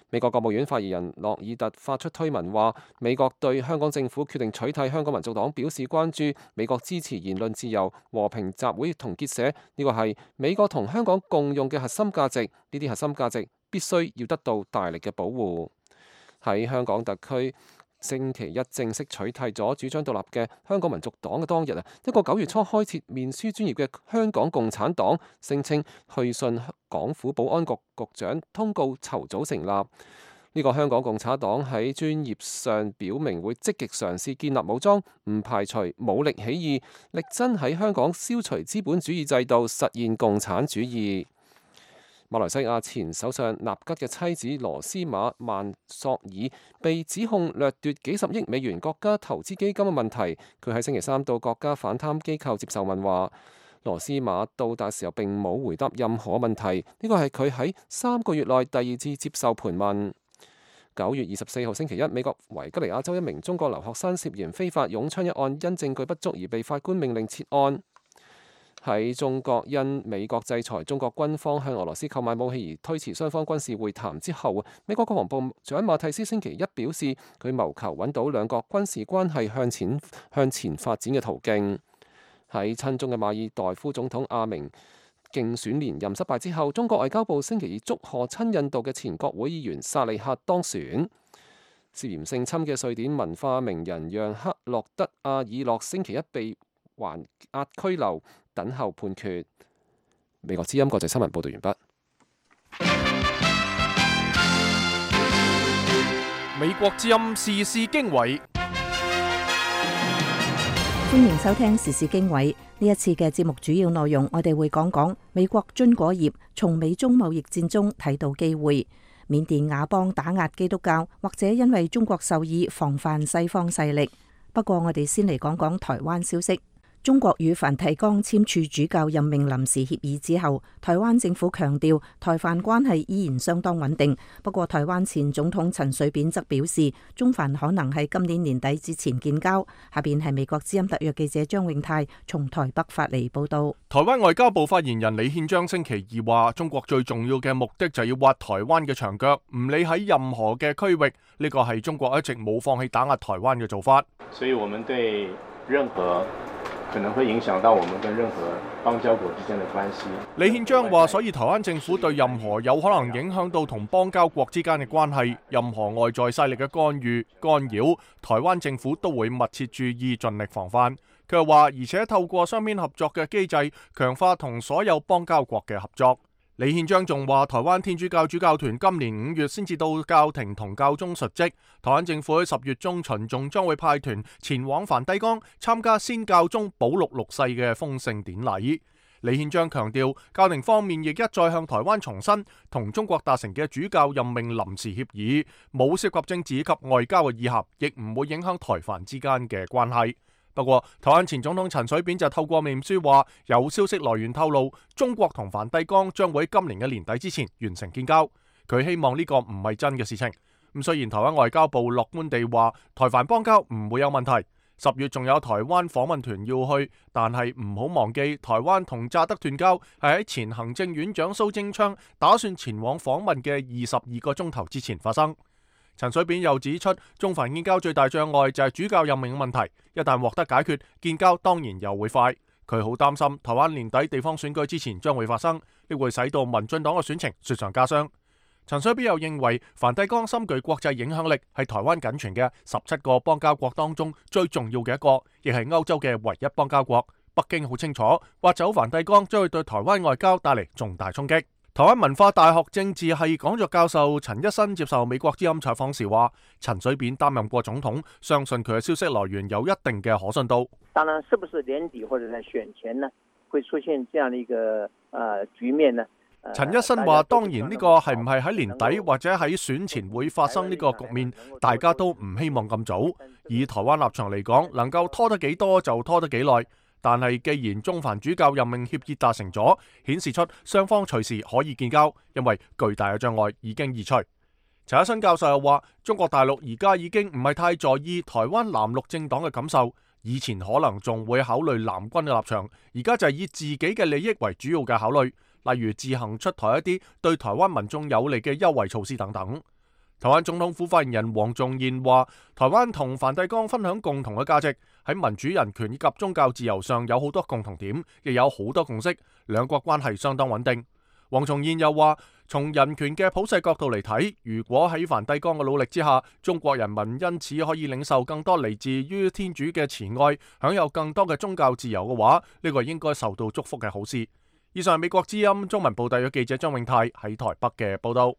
美國國務院發言人諾爾特發出推文話，美國對香港政府決定取締香港民族黨表示關注，美國支持言論自由、和平集會同結社，呢個係美國同香港共用嘅核心價值，呢啲核心價值必須要得到大力嘅保護。喺香港特區星期一正式取締咗主張獨立嘅香港民族黨嘅當日啊，一個九月初開設面書專頁嘅香港共產黨聲稱去信港府保安局局長通告籌組成立。呢、這個香港共產黨喺專頁上表明會積極嘗試建立武裝，唔排除武力起義，力爭喺香港消除資本主義制度，實現共產主義。馬來西亞前首相納吉嘅妻子羅斯瑪曼索爾被指控掠奪幾十億美元國家投資基金嘅問題，佢喺星期三到國家反貪機構接受問話。羅斯瑪到達時候並冇回答任何問題，呢個係佢喺三個月內第二次接受盤問。九月二十四號星期一，美國維吉尼亞州一名中國留學生涉嫌非法擁槍一案，因證據不足而被法官命令撤案。喺中國因美國制裁中國軍方向俄羅斯購買武器而推遲雙方軍事會談之後，美國國防部長馬蒂斯星期一表示，佢謀求揾到兩國軍事關係向前向前發展嘅途徑。喺親中嘅馬爾代夫總統阿明競選連任失敗之後，中國外交部星期二祝賀親印度嘅前國會議員薩利赫當選。涉嫌性侵嘅瑞典文化名人讓克洛德阿爾諾星期一被還押拘留，等候判決。美國之音國際新聞報道完畢。美國之音時事經緯。歡迎收聽時事經緯。呢一次嘅節目主要內容，我哋會講講美國樽果業從美中貿易戰中睇到機會，緬甸亞邦打壓基督教，或者因為中國授意防範西方勢力。不過我哋先嚟講講台灣消息。中國與梵蒂岡簽署主教任命臨時協議之後，台灣政府強調台梵關係依然相當穩定。不過台灣前總統陳水扁則表示，中梵可能喺今年年底之前建交。下邊係美國之音特約記者張永泰從台北發嚟報道。台灣外交部發言人李憲章星期二話，中國最重要嘅目的就係要挖台灣嘅牆腳，唔理喺任何嘅區域，呢個係中國一直冇放棄打壓台灣嘅做法。所以我們對任何可能會影響到我們跟任何邦交國之間的關係。李憲章話，所以台灣政府對任何有可能影響到同邦交國之間嘅關係，任何外在勢力嘅干預、干擾，台灣政府都會密切注意，盡力防範。佢又話，而且透過雙邊合作嘅機制，強化同所有邦交國嘅合作。李憲章仲話，台灣天主教主教團今年五月先至到教廷同教宗述職，台灣政府喺十月中旬仲將會派團前往梵蒂岡參加先教宗保祿六世嘅封聖典禮。李憲章強調，教廷方面亦一再向台灣重申同中國達成嘅主教任命臨時協議，冇涉及政治及外交嘅意涵，亦唔會影響台梵之間嘅關係。不過，台灣前總統陳水扁就透過面書話，有消息來源透露，中國同梵蒂岡將會喺今年嘅年底之前完成建交。佢希望呢個唔係真嘅事情。咁雖然台灣外交部樂觀地話，台梵邦交唔會有問題。十月仲有台灣訪問團要去，但係唔好忘記，台灣同乍得斷交係喺前行政院長蘇貞昌打算前往訪問嘅二十二個鐘頭之前發生。陳水扁又指出，中梵建交最大障礙就係主教任命問題，一旦獲得解決，建交當然又會快。佢好擔心台灣年底地方選舉之前將會發生，呢會使到民進黨嘅選情雪上加霜。陳水扁又認為，梵蒂岡深具國際影響力，係台灣僅存嘅十七個邦交國當中最重要嘅一個，亦係歐洲嘅唯一邦交國。北京好清楚，挖走梵蒂岡將會對台灣外交帶嚟重大衝擊。台灣文化大學政治系講座教授陳一新接受美國之音採訪時話，陳水扁擔任過總統，相信佢嘅消息來源有一定嘅可信度。當然，是不是年底或者在選前呢，會出現這樣的一個呃局面呢？陳一新話，當然呢個係唔係喺年底或者喺選前會發生呢個局面，大家都唔希望咁早。以台灣立場嚟講，能夠拖得幾多就拖得幾耐。但係既然中梵主教任命協議達成咗，顯示出雙方隨時可以建交，因為巨大嘅障礙已經移除。陳一新教授又話，中國大陸而家已經唔係太在意台灣藍綠政黨嘅感受，以前可能仲會考慮藍軍嘅立場，而家就係以自己嘅利益為主要嘅考慮，例如自行出台一啲對台灣民眾有利嘅優惠措施等等。台灣總統府發言人黃仲彥話，台灣同梵蒂岡分享共同嘅價值，喺民主人權以及宗教自由上有好多共同點，亦有好多共識，兩國關係相當穩定。黃仲彥又話，從人權嘅普世角度嚟睇，如果喺梵蒂岡嘅努力之下，中國人民因此可以領受更多嚟自於天主嘅慈愛，享有更多嘅宗教自由嘅話，呢個應該受到祝福嘅好事。以上係美國之音中文部特約記者張永泰喺台北嘅報道。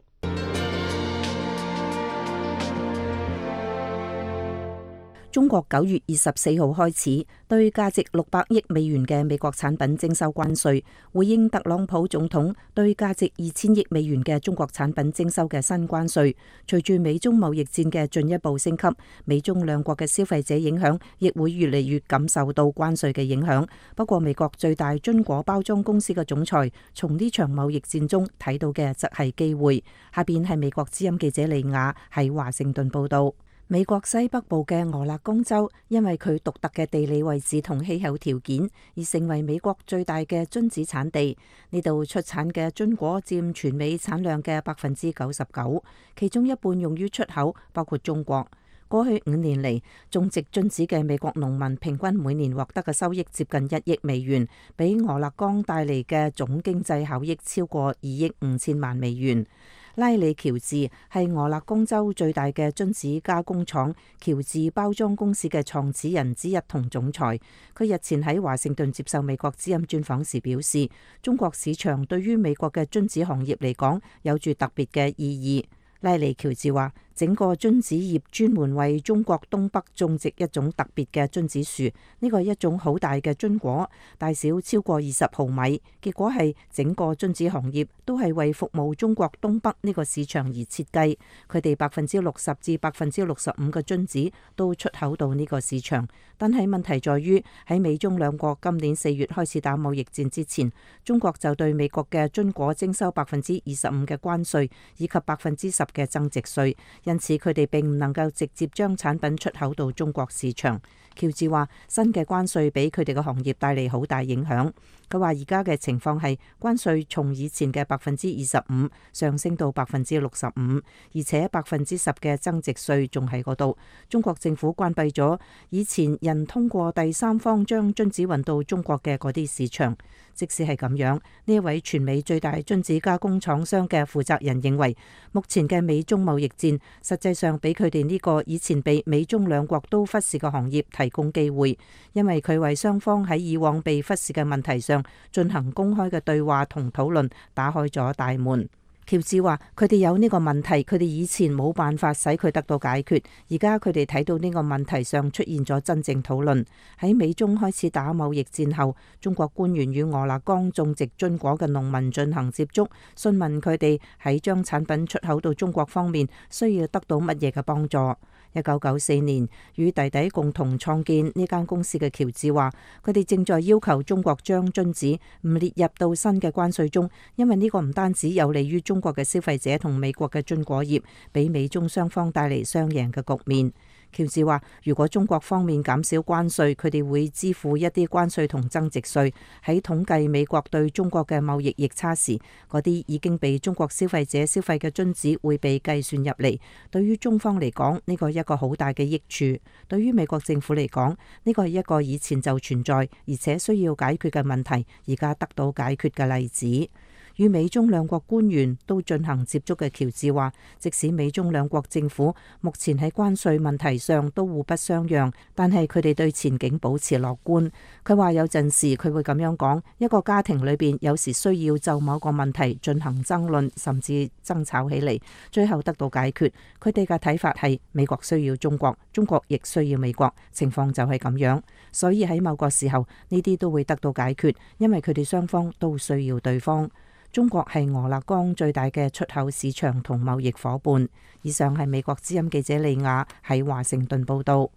中國九月二十四號開始對價值六百億美元嘅美國產品徵收關稅，回應特朗普總統對價值二千億美元嘅中國產品徵收嘅新關稅。隨住美中貿易戰嘅進一步升級，美中兩國嘅消費者影響亦會越嚟越感受到關稅嘅影響。不過，美國最大榛果包裝公司嘅總裁從呢場貿易戰中睇到嘅則係機會。下邊係美國之音記者利亞喺華盛頓報道。美國西北部嘅俄勒岡州，因為佢獨特嘅地理位置同氣候條件，而成為美國最大嘅榛子產地。呢度出產嘅榛果佔全美產量嘅百分之九十九，其中一半用於出口，包括中國。過去五年嚟，種植榛子嘅美國農民平均每年獲得嘅收益接近一億美元，比俄勒岡帶嚟嘅總經濟效益超過二億五千萬美元。拉里喬治係俄勒岡州最大嘅榛子加工廠喬治包裝公司嘅創始人之一同總裁。佢日前喺華盛頓接受美國之音專訪時表示，中國市場對於美國嘅榛子行業嚟講有住特別嘅意義。拉里喬治話，整個榛子業專門為中國東北種植一種特別嘅榛子樹，呢個係一種好大嘅榛果，大小超過二十毫米。結果係整個榛子行業都係為服務中國東北呢個市場而設計。佢哋百分之六十至百分之六十五嘅榛子都出口到呢個市場。但係問題在於喺美中兩國今年四月開始打貿易戰之前，中國就對美國嘅榛果徵收百分之二十五嘅關稅以及百分之十嘅增值稅。因此佢哋並唔能夠直接將產品出口到中國市場。喬治話，新嘅關稅俾佢哋嘅行業帶嚟好大影響。佢話而家嘅情況係關稅從以前嘅百分之二十五上升到百分之六十五，而且百分之十嘅增值稅仲喺嗰度。中國政府關閉咗以前人通過第三方將榛子運到中國嘅嗰啲市場。即使係咁樣，呢一位全美最大榛子加工廠商嘅負責人認為，目前嘅美中貿易戰實際上俾佢哋呢個以前被美中兩國都忽視嘅行業提供機會，因為佢為雙方喺以往被忽視嘅問題上進行公開嘅對話同討論打開咗大門。喬治話，佢哋有呢個問題，佢哋以前冇辦法使佢得到解決，而家佢哋睇到呢個問題上出現咗真正討論。喺美中開始打貿易戰後，中國官員與俄勒岡種植榛果嘅農民進行接觸，詢問佢哋喺將產品出口到中國方面需要得到乜嘢嘅幫助。一九九四年與弟弟共同創建呢間公司嘅喬治話，佢哋正在要求中國將榛子唔列入到新嘅關稅中，因為呢個唔單止有利於中國嘅消費者同美國嘅榛果業，俾美中雙方帶嚟雙贏嘅局面。喬治話，如果中國方面減少關稅，佢哋會支付一啲關稅同增值稅。喺統計美國對中國嘅貿易逆差時，嗰啲已經被中國消費者消費嘅榛子會被計算入嚟。對於中方嚟講，呢個係一個好大嘅益處；對於美國政府嚟講，呢個係一個以前就存在而且需要解決嘅問題，而家得到解決嘅例子。與美中兩國官員都進行接觸嘅喬治話，即使美中兩國政府目前喺關稅問題上都互不相讓，但係佢哋對前景保持樂觀。佢話有陣時佢會咁樣講，一個家庭裏邊有時需要就某個問題進行爭論，甚至爭吵起嚟，最後得到解決。佢哋嘅睇法係美國需要中國，中國亦需要美國，情況就係咁樣。所以喺某個時候呢啲都會得到解決，因為佢哋雙方都需要對方。中國係俄勒岡最大嘅出口市場同貿易夥伴。以上係美國之音記者利亞喺華盛頓報道。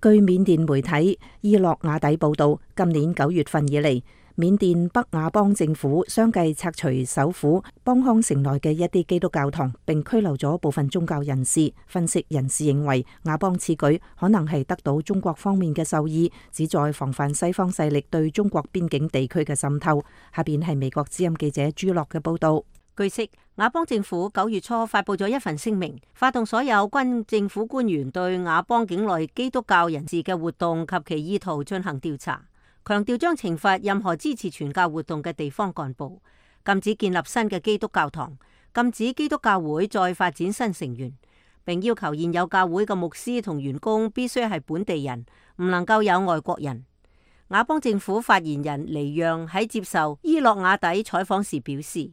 據緬甸媒體伊洛瓦底報道，今年九月份以嚟，緬甸北亞邦政府相繼拆除首府邦康城內嘅一啲基督教堂，並拘留咗部分宗教人士。分析人士認為，亞邦此舉可能係得到中國方面嘅授意，旨在防範西方勢力對中國邊境地區嘅滲透。下邊係美國之音記者朱樂嘅報道。據悉，亞邦政府九月初發布咗一份聲明，發動所有軍政府官員對亞邦境內基督教人士嘅活動及其意圖進行調查。強調將懲罰任何支持傳教活動嘅地方幹部，禁止建立新嘅基督教堂，禁止基督教會再發展新成員，並要求現有教會嘅牧師同員工必須係本地人，唔能夠有外國人。亞邦政府發言人黎讓喺接受伊洛瓦底採訪時表示，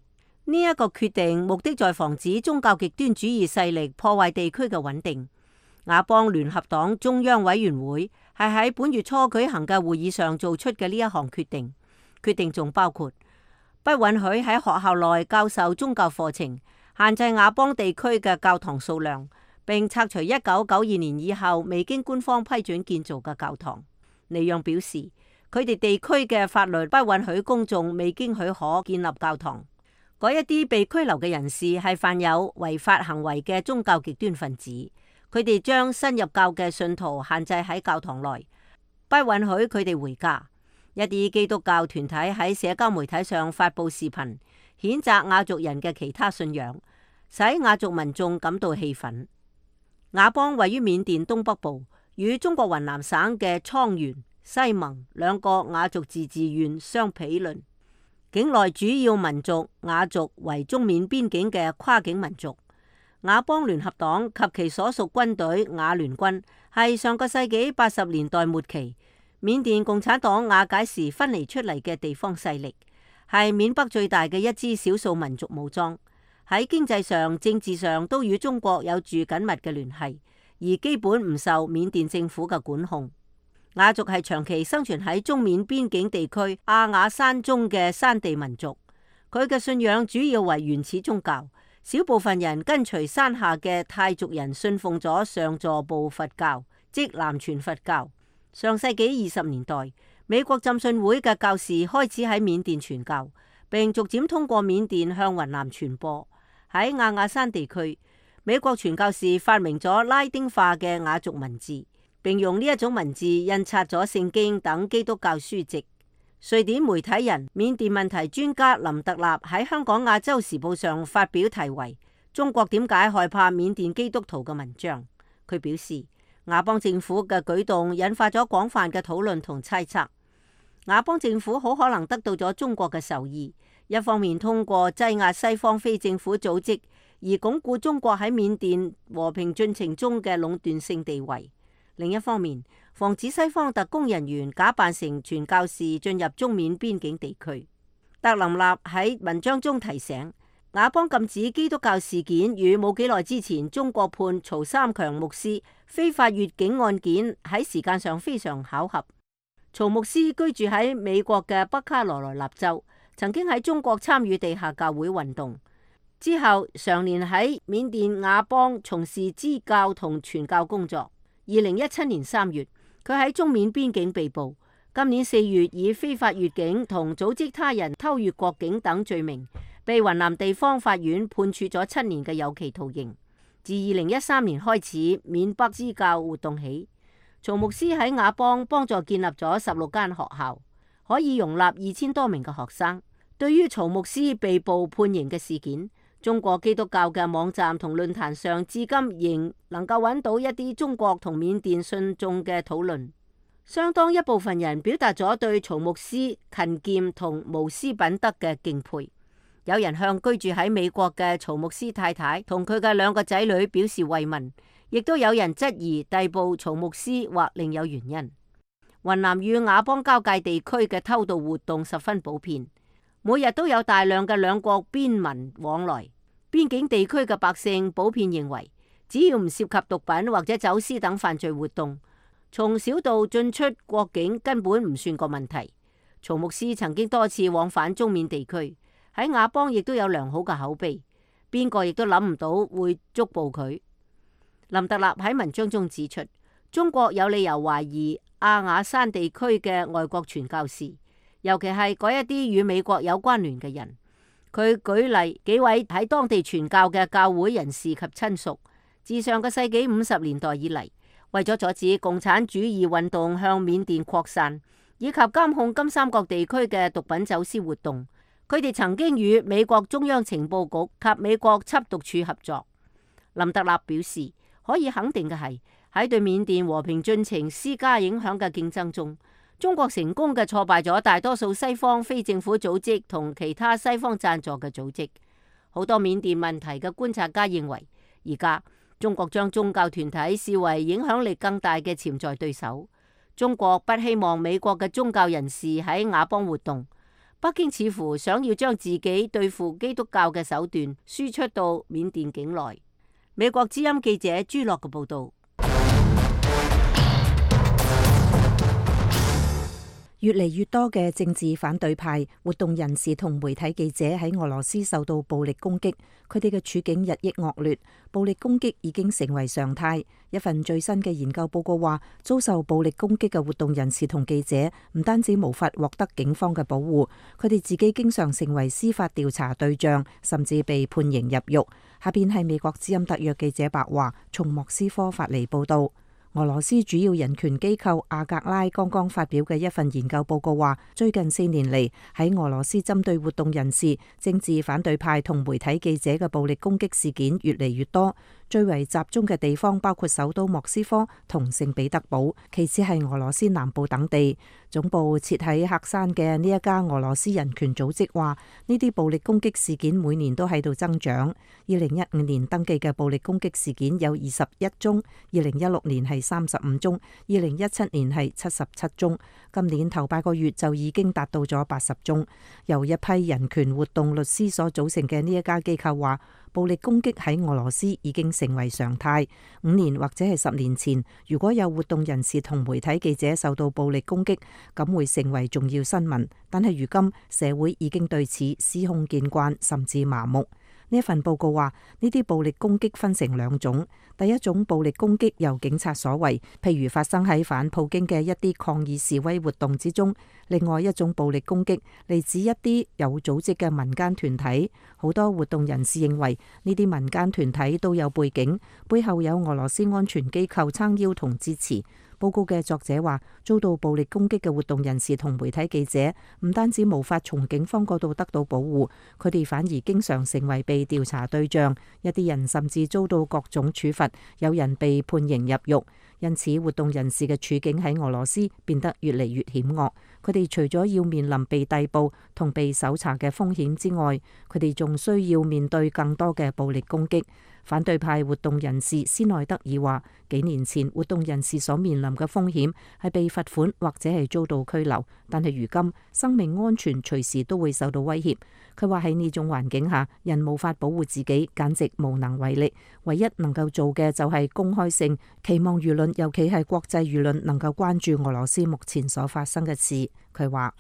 呢一個決定目的在防止宗教極端主義勢力破壞地區嘅穩定。亞邦聯合黨中央委員會係喺本月初舉行嘅會議上做出嘅呢一項決定。決定仲包括不允許喺學校內教授宗教課程，限制亞邦地區嘅教堂數量，並拆除一九九二年以後未經官方批准建造嘅教堂。尼讓表示，佢哋地區嘅法律不允許公眾未經許可建立教堂。嗰一啲被拘留嘅人士係犯有違法行為嘅宗教極端分子，佢哋將新入教嘅信徒限制喺教堂內，不允許佢哋回家。一啲基督教團體喺社交媒體上發布視頻，譴責亞族人嘅其他信仰，使亞族民眾感到氣憤。亞邦位於緬甸東北部，與中國雲南省嘅蒼源、西盟兩個亞族自治縣相毗鄰。境內主要民族亞族為中緬邊境嘅跨境民族。亞邦聯合黨及其所屬軍隊亞聯軍係上個世紀八十年代末期緬甸共產黨瓦解時分離出嚟嘅地方勢力，係緬北最大嘅一支少數民族武裝。喺經濟上、政治上都與中國有住緊密嘅聯繫，而基本唔受緬甸政府嘅管控。亞族係長期生存喺中緬邊境地區阿雅山中嘅山地民族，佢嘅信仰主要為原始宗教，小部分人跟隨山下嘅泰族人信奉咗上座部佛教，即南傳佛教。上世紀二十年代，美國浸信會嘅教士開始喺緬甸傳教，並逐漸通過緬甸向雲南傳播。喺亞雅山地區，美國傳教士發明咗拉丁化嘅雅族文字，並用呢一種文字印刷咗聖經等基督教書籍。瑞典媒體人、緬甸問題專家林特納喺香港亞洲時報上發表題為《中國點解害怕緬甸基督徒》嘅文章。佢表示，亞邦政府嘅舉動引發咗廣泛嘅討論同猜測。亞邦政府好可能得到咗中國嘅授意，一方面通過擠壓西方非政府組織而鞏固中國喺緬甸和平進程中嘅壟斷性地位；另一方面，防止西方特工人員假扮成傳教士進入中緬邊境地區。特林納喺文章中提醒，亞邦禁止基督教事件與冇幾耐之前中國判曹三強牧師非法越境案件喺時間上非常巧合。曹牧師居住喺美國嘅北卡羅來納州，曾經喺中國參與地下教會運動，之後常年喺緬甸亞邦從事支教同傳教工作。二零一七年三月，佢喺中緬邊境被捕。今年四月以非法越境同組織他人偷越國境等罪名，被雲南地方法院判處咗七年嘅有期徒刑。自二零一三年開始緬北支教活動起，曹牧師喺亞邦幫助建立咗十六間學校，可以容納二千多名嘅學生。對於曹牧師被捕判刑嘅事件，中國基督教嘅網站同論壇上至今仍能夠揾到一啲中國同緬甸信眾嘅討論。相當一部分人表達咗對曹牧師勤儉同無私品德嘅敬佩。有人向居住喺美國嘅曹牧師太太同佢嘅兩個仔女表示慰問，亦都有人質疑逮捕曹牧師或另有原因。雲南與亞邦交界地區嘅偷渡活動十分普遍，每日都有大量嘅兩國邊民往來。邊境地區嘅百姓普遍認為，只要唔涉及毒品或者走私等犯罪活動，從小道進出國境根本唔算個問題。曹牧師曾經多次往返中緬地區，喺亞邦亦都有良好嘅口碑，邊個亦都諗唔到會捉捕佢。林特納喺文章中指出，中國有理由懷疑阿雅山地區嘅外國傳教士，尤其係嗰一啲與美國有關聯嘅人。佢舉例幾位喺當地傳教嘅教會人士及親屬，自上個世紀五十年代以嚟，為咗阻止共產主義運動向緬甸擴散，以及監控金三角地區嘅毒品走私活動，佢哋曾經與美國中央情報局及美國緝毒處合作。林特納表示，可以肯定嘅係，喺對緬甸和平進程施加影響嘅競爭中，中國成功嘅挫敗咗大多數西方非政府組織同其他西方贊助嘅組織。好多緬甸問題嘅觀察家認為，而家中國將宗教團體視為影響力更大嘅潛在對手。中國不希望美國嘅宗教人士喺亞邦活動，北京似乎想要將自己對付基督教嘅手段輸出到緬甸境內。美國之音記者朱樂嘅報道。越嚟越多嘅政治反對派、活動人士同媒體記者喺俄羅斯受到暴力攻擊，佢哋嘅處境日益惡劣，暴力攻擊已經成為常態。一份最新嘅研究報告話，遭受暴力攻擊嘅活動人士同記者唔單止無法獲得警方嘅保護，佢哋自己經常成為司法調查對象，甚至被判刑入獄。下邊係美國之音特約記者白華從莫斯科發嚟報道。俄羅斯主要人權機構阿格拉剛剛發表嘅一份研究報告話，最近四年嚟喺俄羅斯針對活動人士、政治反對派同媒體記者嘅暴力攻擊事件越嚟越多，最為集中嘅地方包括首都莫斯科同聖彼得堡，其次係俄羅斯南部等地。總部設喺喀山嘅呢一家俄羅斯人權組織話，呢啲暴力攻擊事件每年都喺度增長。二零一五年登記嘅暴力攻擊事件有二十一宗，二零一六年係三十五宗，二零一七年係七十七宗，今年頭八個月就已經達到咗八十宗。由一批人權活動律師所組成嘅呢一家機構話，暴力攻擊喺俄羅斯已經成為常態。五年或者係十年前，如果有活動人士同媒體記者受到暴力攻擊，咁會成為重要新聞。但係如今社會已經對此司空見慣，甚至麻木。呢一份報告話，呢啲暴力攻擊分成兩種。第一種暴力攻擊由警察所為，譬如發生喺反普京嘅一啲抗議示威活動之中；另外一種暴力攻擊嚟自一啲有組織嘅民間團體。好多活動人士認為呢啲民間團體都有背景，背後有俄羅斯安全機構撐腰同支持。報告嘅作者話，遭到暴力攻擊嘅活動人士同媒體記者唔單止無法從警方嗰度得到保護，佢哋反而經常成為被調查對象，一啲人甚至遭到各種處罰，有人被判刑入獄。因此，活動人士嘅處境喺俄羅斯變得越嚟越險惡。佢哋除咗要面臨被逮捕同被搜查嘅風險之外，佢哋仲需要面對更多嘅暴力攻擊。反對派活動人士斯內德爾話，幾年前活動人士所面臨嘅風險係被罰款或者係遭到拘留，但係如今生命安全隨時都會受到威脅。佢話喺呢種環境下，人無法保護自己，簡直無能為力。唯一能夠做嘅就係公開性，期望輿論，尤其係國際輿論，能夠關注俄羅斯目前所發生嘅事。佢話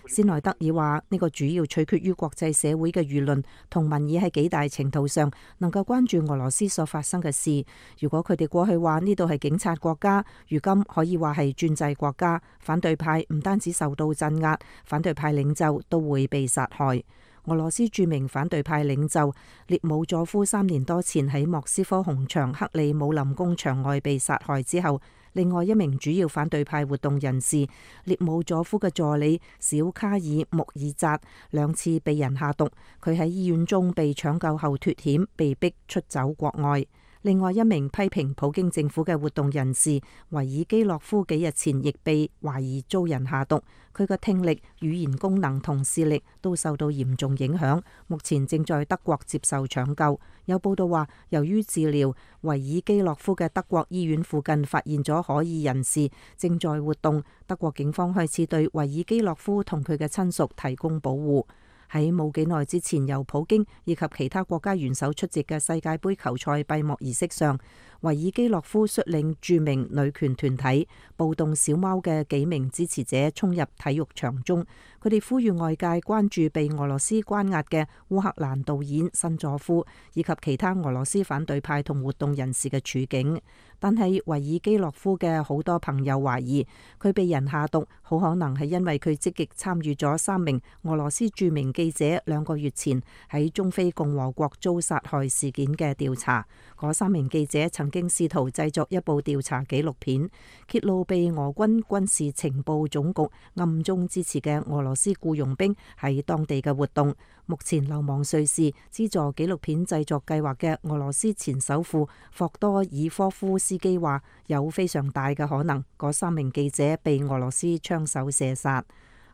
斯內德爾話：呢個主要取決於國際社會嘅輿論同民意喺幾大程度上能夠關注俄羅斯所發生嘅事。如果佢哋過去話呢度係警察國家，如今可以話係專制國家，反對派唔單止受到鎮壓，反對派領袖都會被殺害。俄羅斯著名反對派領袖列姆佐夫三年多前喺莫斯科紅場克里姆林宮牆外被殺害之後，另外一名主要反對派活動人士列姆佐夫嘅助理小卡爾穆爾扎兩次被人下毒，佢喺醫院中被搶救後脫險，被逼出走國外。另外一名批評普京政府嘅活動人士維爾基洛夫幾日前亦被懷疑遭人下毒，佢嘅聽力、語言功能同視力都受到嚴重影響，目前正在德國接受搶救。有報道話，由於治療維爾基洛夫嘅德國醫院附近發現咗可疑人士正在活動，德國警方開始對維爾基洛夫同佢嘅親屬提供保護。喺冇幾耐之前，由普京以及其他國家元首出席嘅世界盃球賽閉幕儀式上，維爾基洛夫率領著名女權團體暴動小貓嘅幾名支持者衝入體育場中，佢哋呼籲外界關注被俄羅斯關押嘅烏克蘭導演申佐夫以及其他俄羅斯反對派同活動人士嘅處境。但係維爾基洛夫嘅好多朋友懷疑佢被人下毒，好可能係因為佢積極參與咗三名俄羅斯著名記者兩個月前喺中非共和國遭殺害事件嘅調查。嗰三名記者曾經試圖製作一部調查紀錄片，揭露被俄軍軍事情報總局暗中支持嘅俄羅斯僱傭兵喺當地嘅活動。目前流亡瑞士資助紀錄片製作計劃嘅俄羅斯前首富霍多爾科夫斯基話，有非常大嘅可能嗰三名記者被俄羅斯槍手射殺。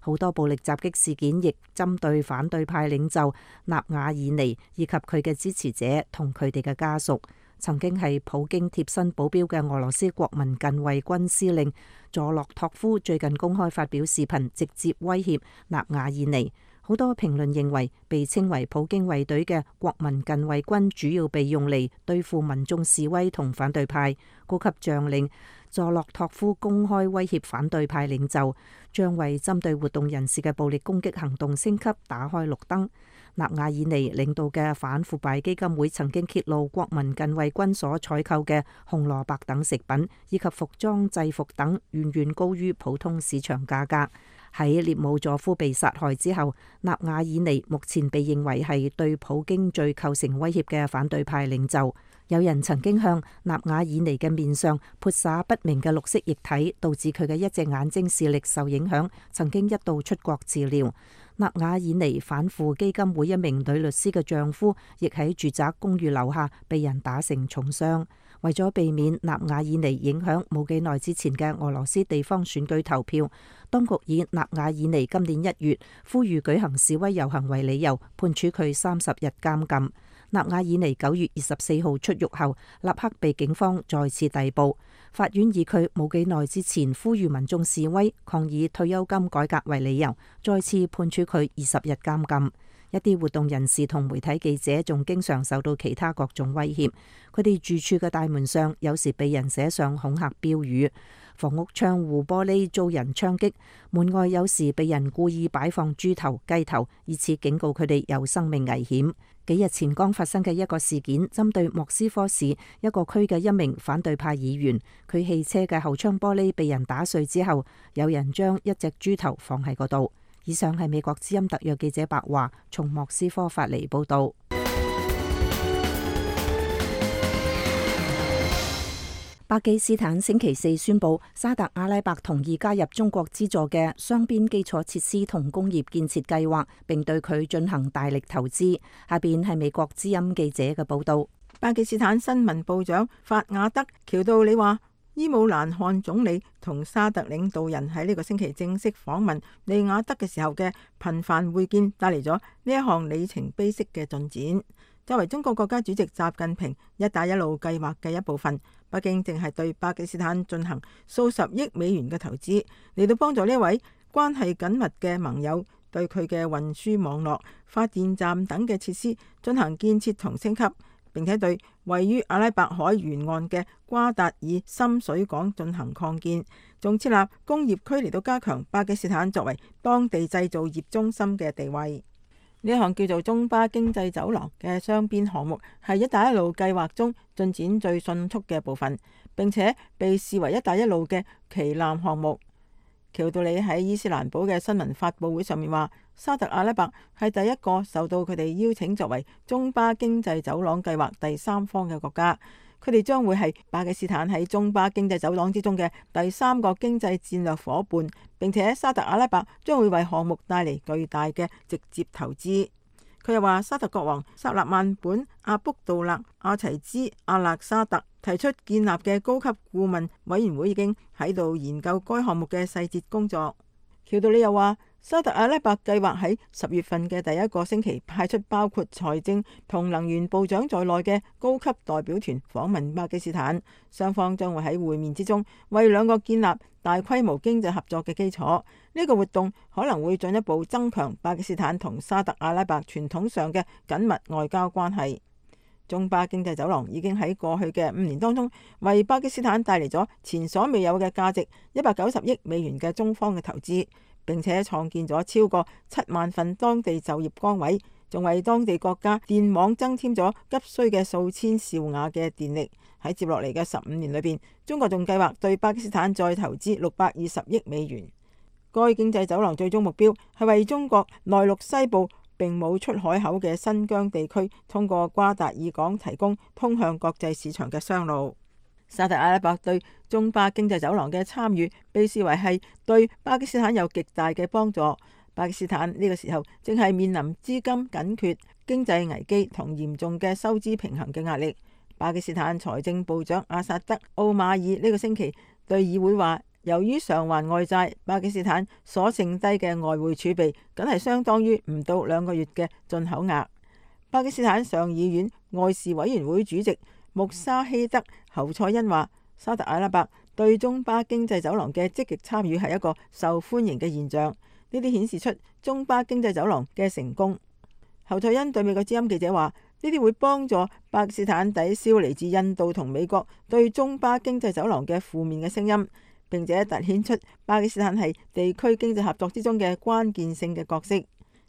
好多暴力襲擊事件亦針對反對派領袖納瓦爾尼以及佢嘅支持者同佢哋嘅家屬。曾經係普京貼身保鏢嘅俄羅斯國民近衛軍司令佐洛托夫最近公開發表視頻，直接威脅納瓦爾尼。好多評論認為，被稱為普京衛隊嘅國民近衛軍主要被用嚟對付民眾示威同反對派。高級將領佐洛托夫公開威脅反對派領袖，將為針對活動人士嘅暴力攻擊行動升級打開綠燈。納瓦爾尼領導嘅反腐敗基金會曾經揭露國民近衛軍所採購嘅紅蘿蔔等食品以及服裝制服等遠遠高於普通市場價格。喺列姆佐夫被殺害之後，納瓦爾尼目前被認為係對普京最構成威脅嘅反對派領袖。有人曾經向納瓦爾尼嘅面上潑灑不明嘅綠色液體，導致佢嘅一隻眼睛視力受影響，曾經一度出國治療。納瓦爾尼反腐基金會一名女律師嘅丈夫亦喺住宅公寓樓下被人打成重傷。為咗避免納瓦爾尼影響冇幾耐之前嘅俄羅斯地方選舉投票，當局以納瓦爾尼今年一月呼籲舉行示威遊行為理由，判處佢三十日監禁。納瓦爾尼九月二十四號出獄後，立刻被警方再次逮捕。法院以佢冇幾耐之前呼籲民眾示威抗議退休金改革為理由，再次判處佢二十日監禁。一啲活動人士同媒體記者仲經常受到其他各種威脅，佢哋住處嘅大門上有時被人寫上恐嚇標語，房屋窗戶玻璃遭人槍擊，門外有時被人故意擺放豬頭、雞頭，以此警告佢哋有生命危險。幾日前剛發生嘅一個事件，針對莫斯科市一個區嘅一名反對派議員，佢汽車嘅後窗玻璃被人打碎之後，有人將一隻豬頭放喺嗰度。以上係美國之音特約記者白華從莫斯科發嚟報道。巴基斯坦星期四宣布，沙特阿拉伯同意加入中國資助嘅雙邊基礎設施同工業建設計劃，並對佢進行大力投資。下邊係美國之音記者嘅報道。巴基斯坦新聞部長法雅德喬道理話，伊姆蘭汗總理同沙特領導人喺呢個星期正式訪問利雅得嘅時候嘅頻繁會見，帶嚟咗呢一項里程碑式嘅進展。作為中國國家主席習近平一帶一路計劃嘅一部分，北京正係對巴基斯坦進行數十億美元嘅投資，嚟到幫助呢位關係緊密嘅盟友對佢嘅運輸網絡、發電站等嘅設施進行建設同升級，並且對位於阿拉伯海沿岸嘅瓜達爾深水港進行擴建，仲設立工業區嚟到加強巴基斯坦作為當地製造業中心嘅地位。呢一項叫做中巴經濟走廊嘅雙邊項目係一帶一路計劃中進展最迅速嘅部分，並且被視為一帶一路嘅旗艦項目。喬道理喺伊斯蘭堡嘅新聞發佈會上面話，沙特阿拉伯係第一個受到佢哋邀請作為中巴經濟走廊計劃第三方嘅國家，佢哋將會係巴基斯坦喺中巴經濟走廊之中嘅第三個經濟戰略夥伴，並且沙特阿拉伯將會為項目帶嚟巨大嘅直接投資。佢又話，沙特國王薩勒曼本阿卜杜勒阿齊茲阿勒沙特提出建立嘅高級顧問委員會已經喺度研究該項目嘅細節工作。喬道理又話，沙特阿拉伯計劃喺十月份嘅第一個星期派出包括財政同能源部長在內嘅高級代表團訪問巴基斯坦，雙方將會喺會面之中為兩個建立大規模經濟合作嘅基礎。呢個活動可能會進一步增強巴基斯坦同沙特阿拉伯傳統上嘅緊密外交關係。中巴經濟走廊已經喺過去嘅五年當中為巴基斯坦帶嚟咗前所未有嘅價值一百九十億美元嘅中方嘅投資，並且創建咗超過七萬份當地就業崗位，仲為當地國家電網增添咗急需嘅數千兆瓦嘅電力。喺接落嚟嘅十五年裏邊，中國仲計劃對巴基斯坦再投資六百二十億美元。該經濟走廊最終目標係為中國內陸西部並冇出海口嘅新疆地區通過瓜達爾港提供通向國際市場嘅商路。沙特阿拉伯對中巴經濟走廊嘅參與被視為係對巴基斯坦有極大嘅幫助。巴基斯坦呢個時候正係面臨資金緊缺、經濟危機同嚴重嘅收支平衡嘅壓力。巴基斯坦財政部長阿薩德奧馬爾呢個星期對議會話，由於償還外債，巴基斯坦所剩低嘅外匯儲備僅係相當於唔到兩個月嘅進口額。巴基斯坦上議院外事委員會主席穆沙希德侯賽因話，沙特阿拉伯對中巴經濟走廊嘅積極參與係一個受歡迎嘅現象，呢啲顯示出中巴經濟走廊嘅成功。侯賽因對美國之音記者話，呢啲會幫助巴基斯坦抵消嚟自印度同美國對中巴經濟走廊嘅負面嘅聲音，並且凸顯出巴基斯坦係地區經濟合作之中嘅關鍵性嘅角色。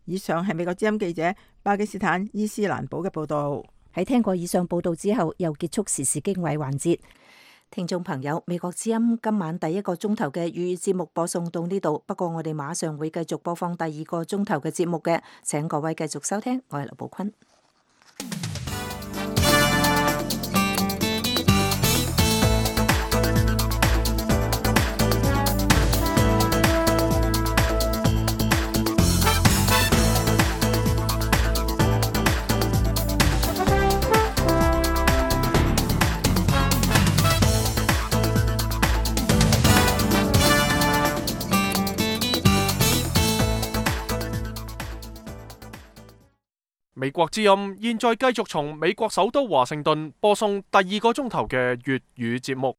以上係美國之音記者巴基斯坦伊斯蘭堡嘅報道。喺聽過以上報道之後，又結束時事經緯環節。聽眾朋友，美國之音今晚第一個鐘頭嘅粵語節目播送到呢度，不過我哋馬上會繼續播放第二個鐘頭嘅節目嘅，請各位繼續收聽。我係劉寶坤。美國之音現在繼續從美國首都華盛頓播送第二個鐘頭嘅粵語節目。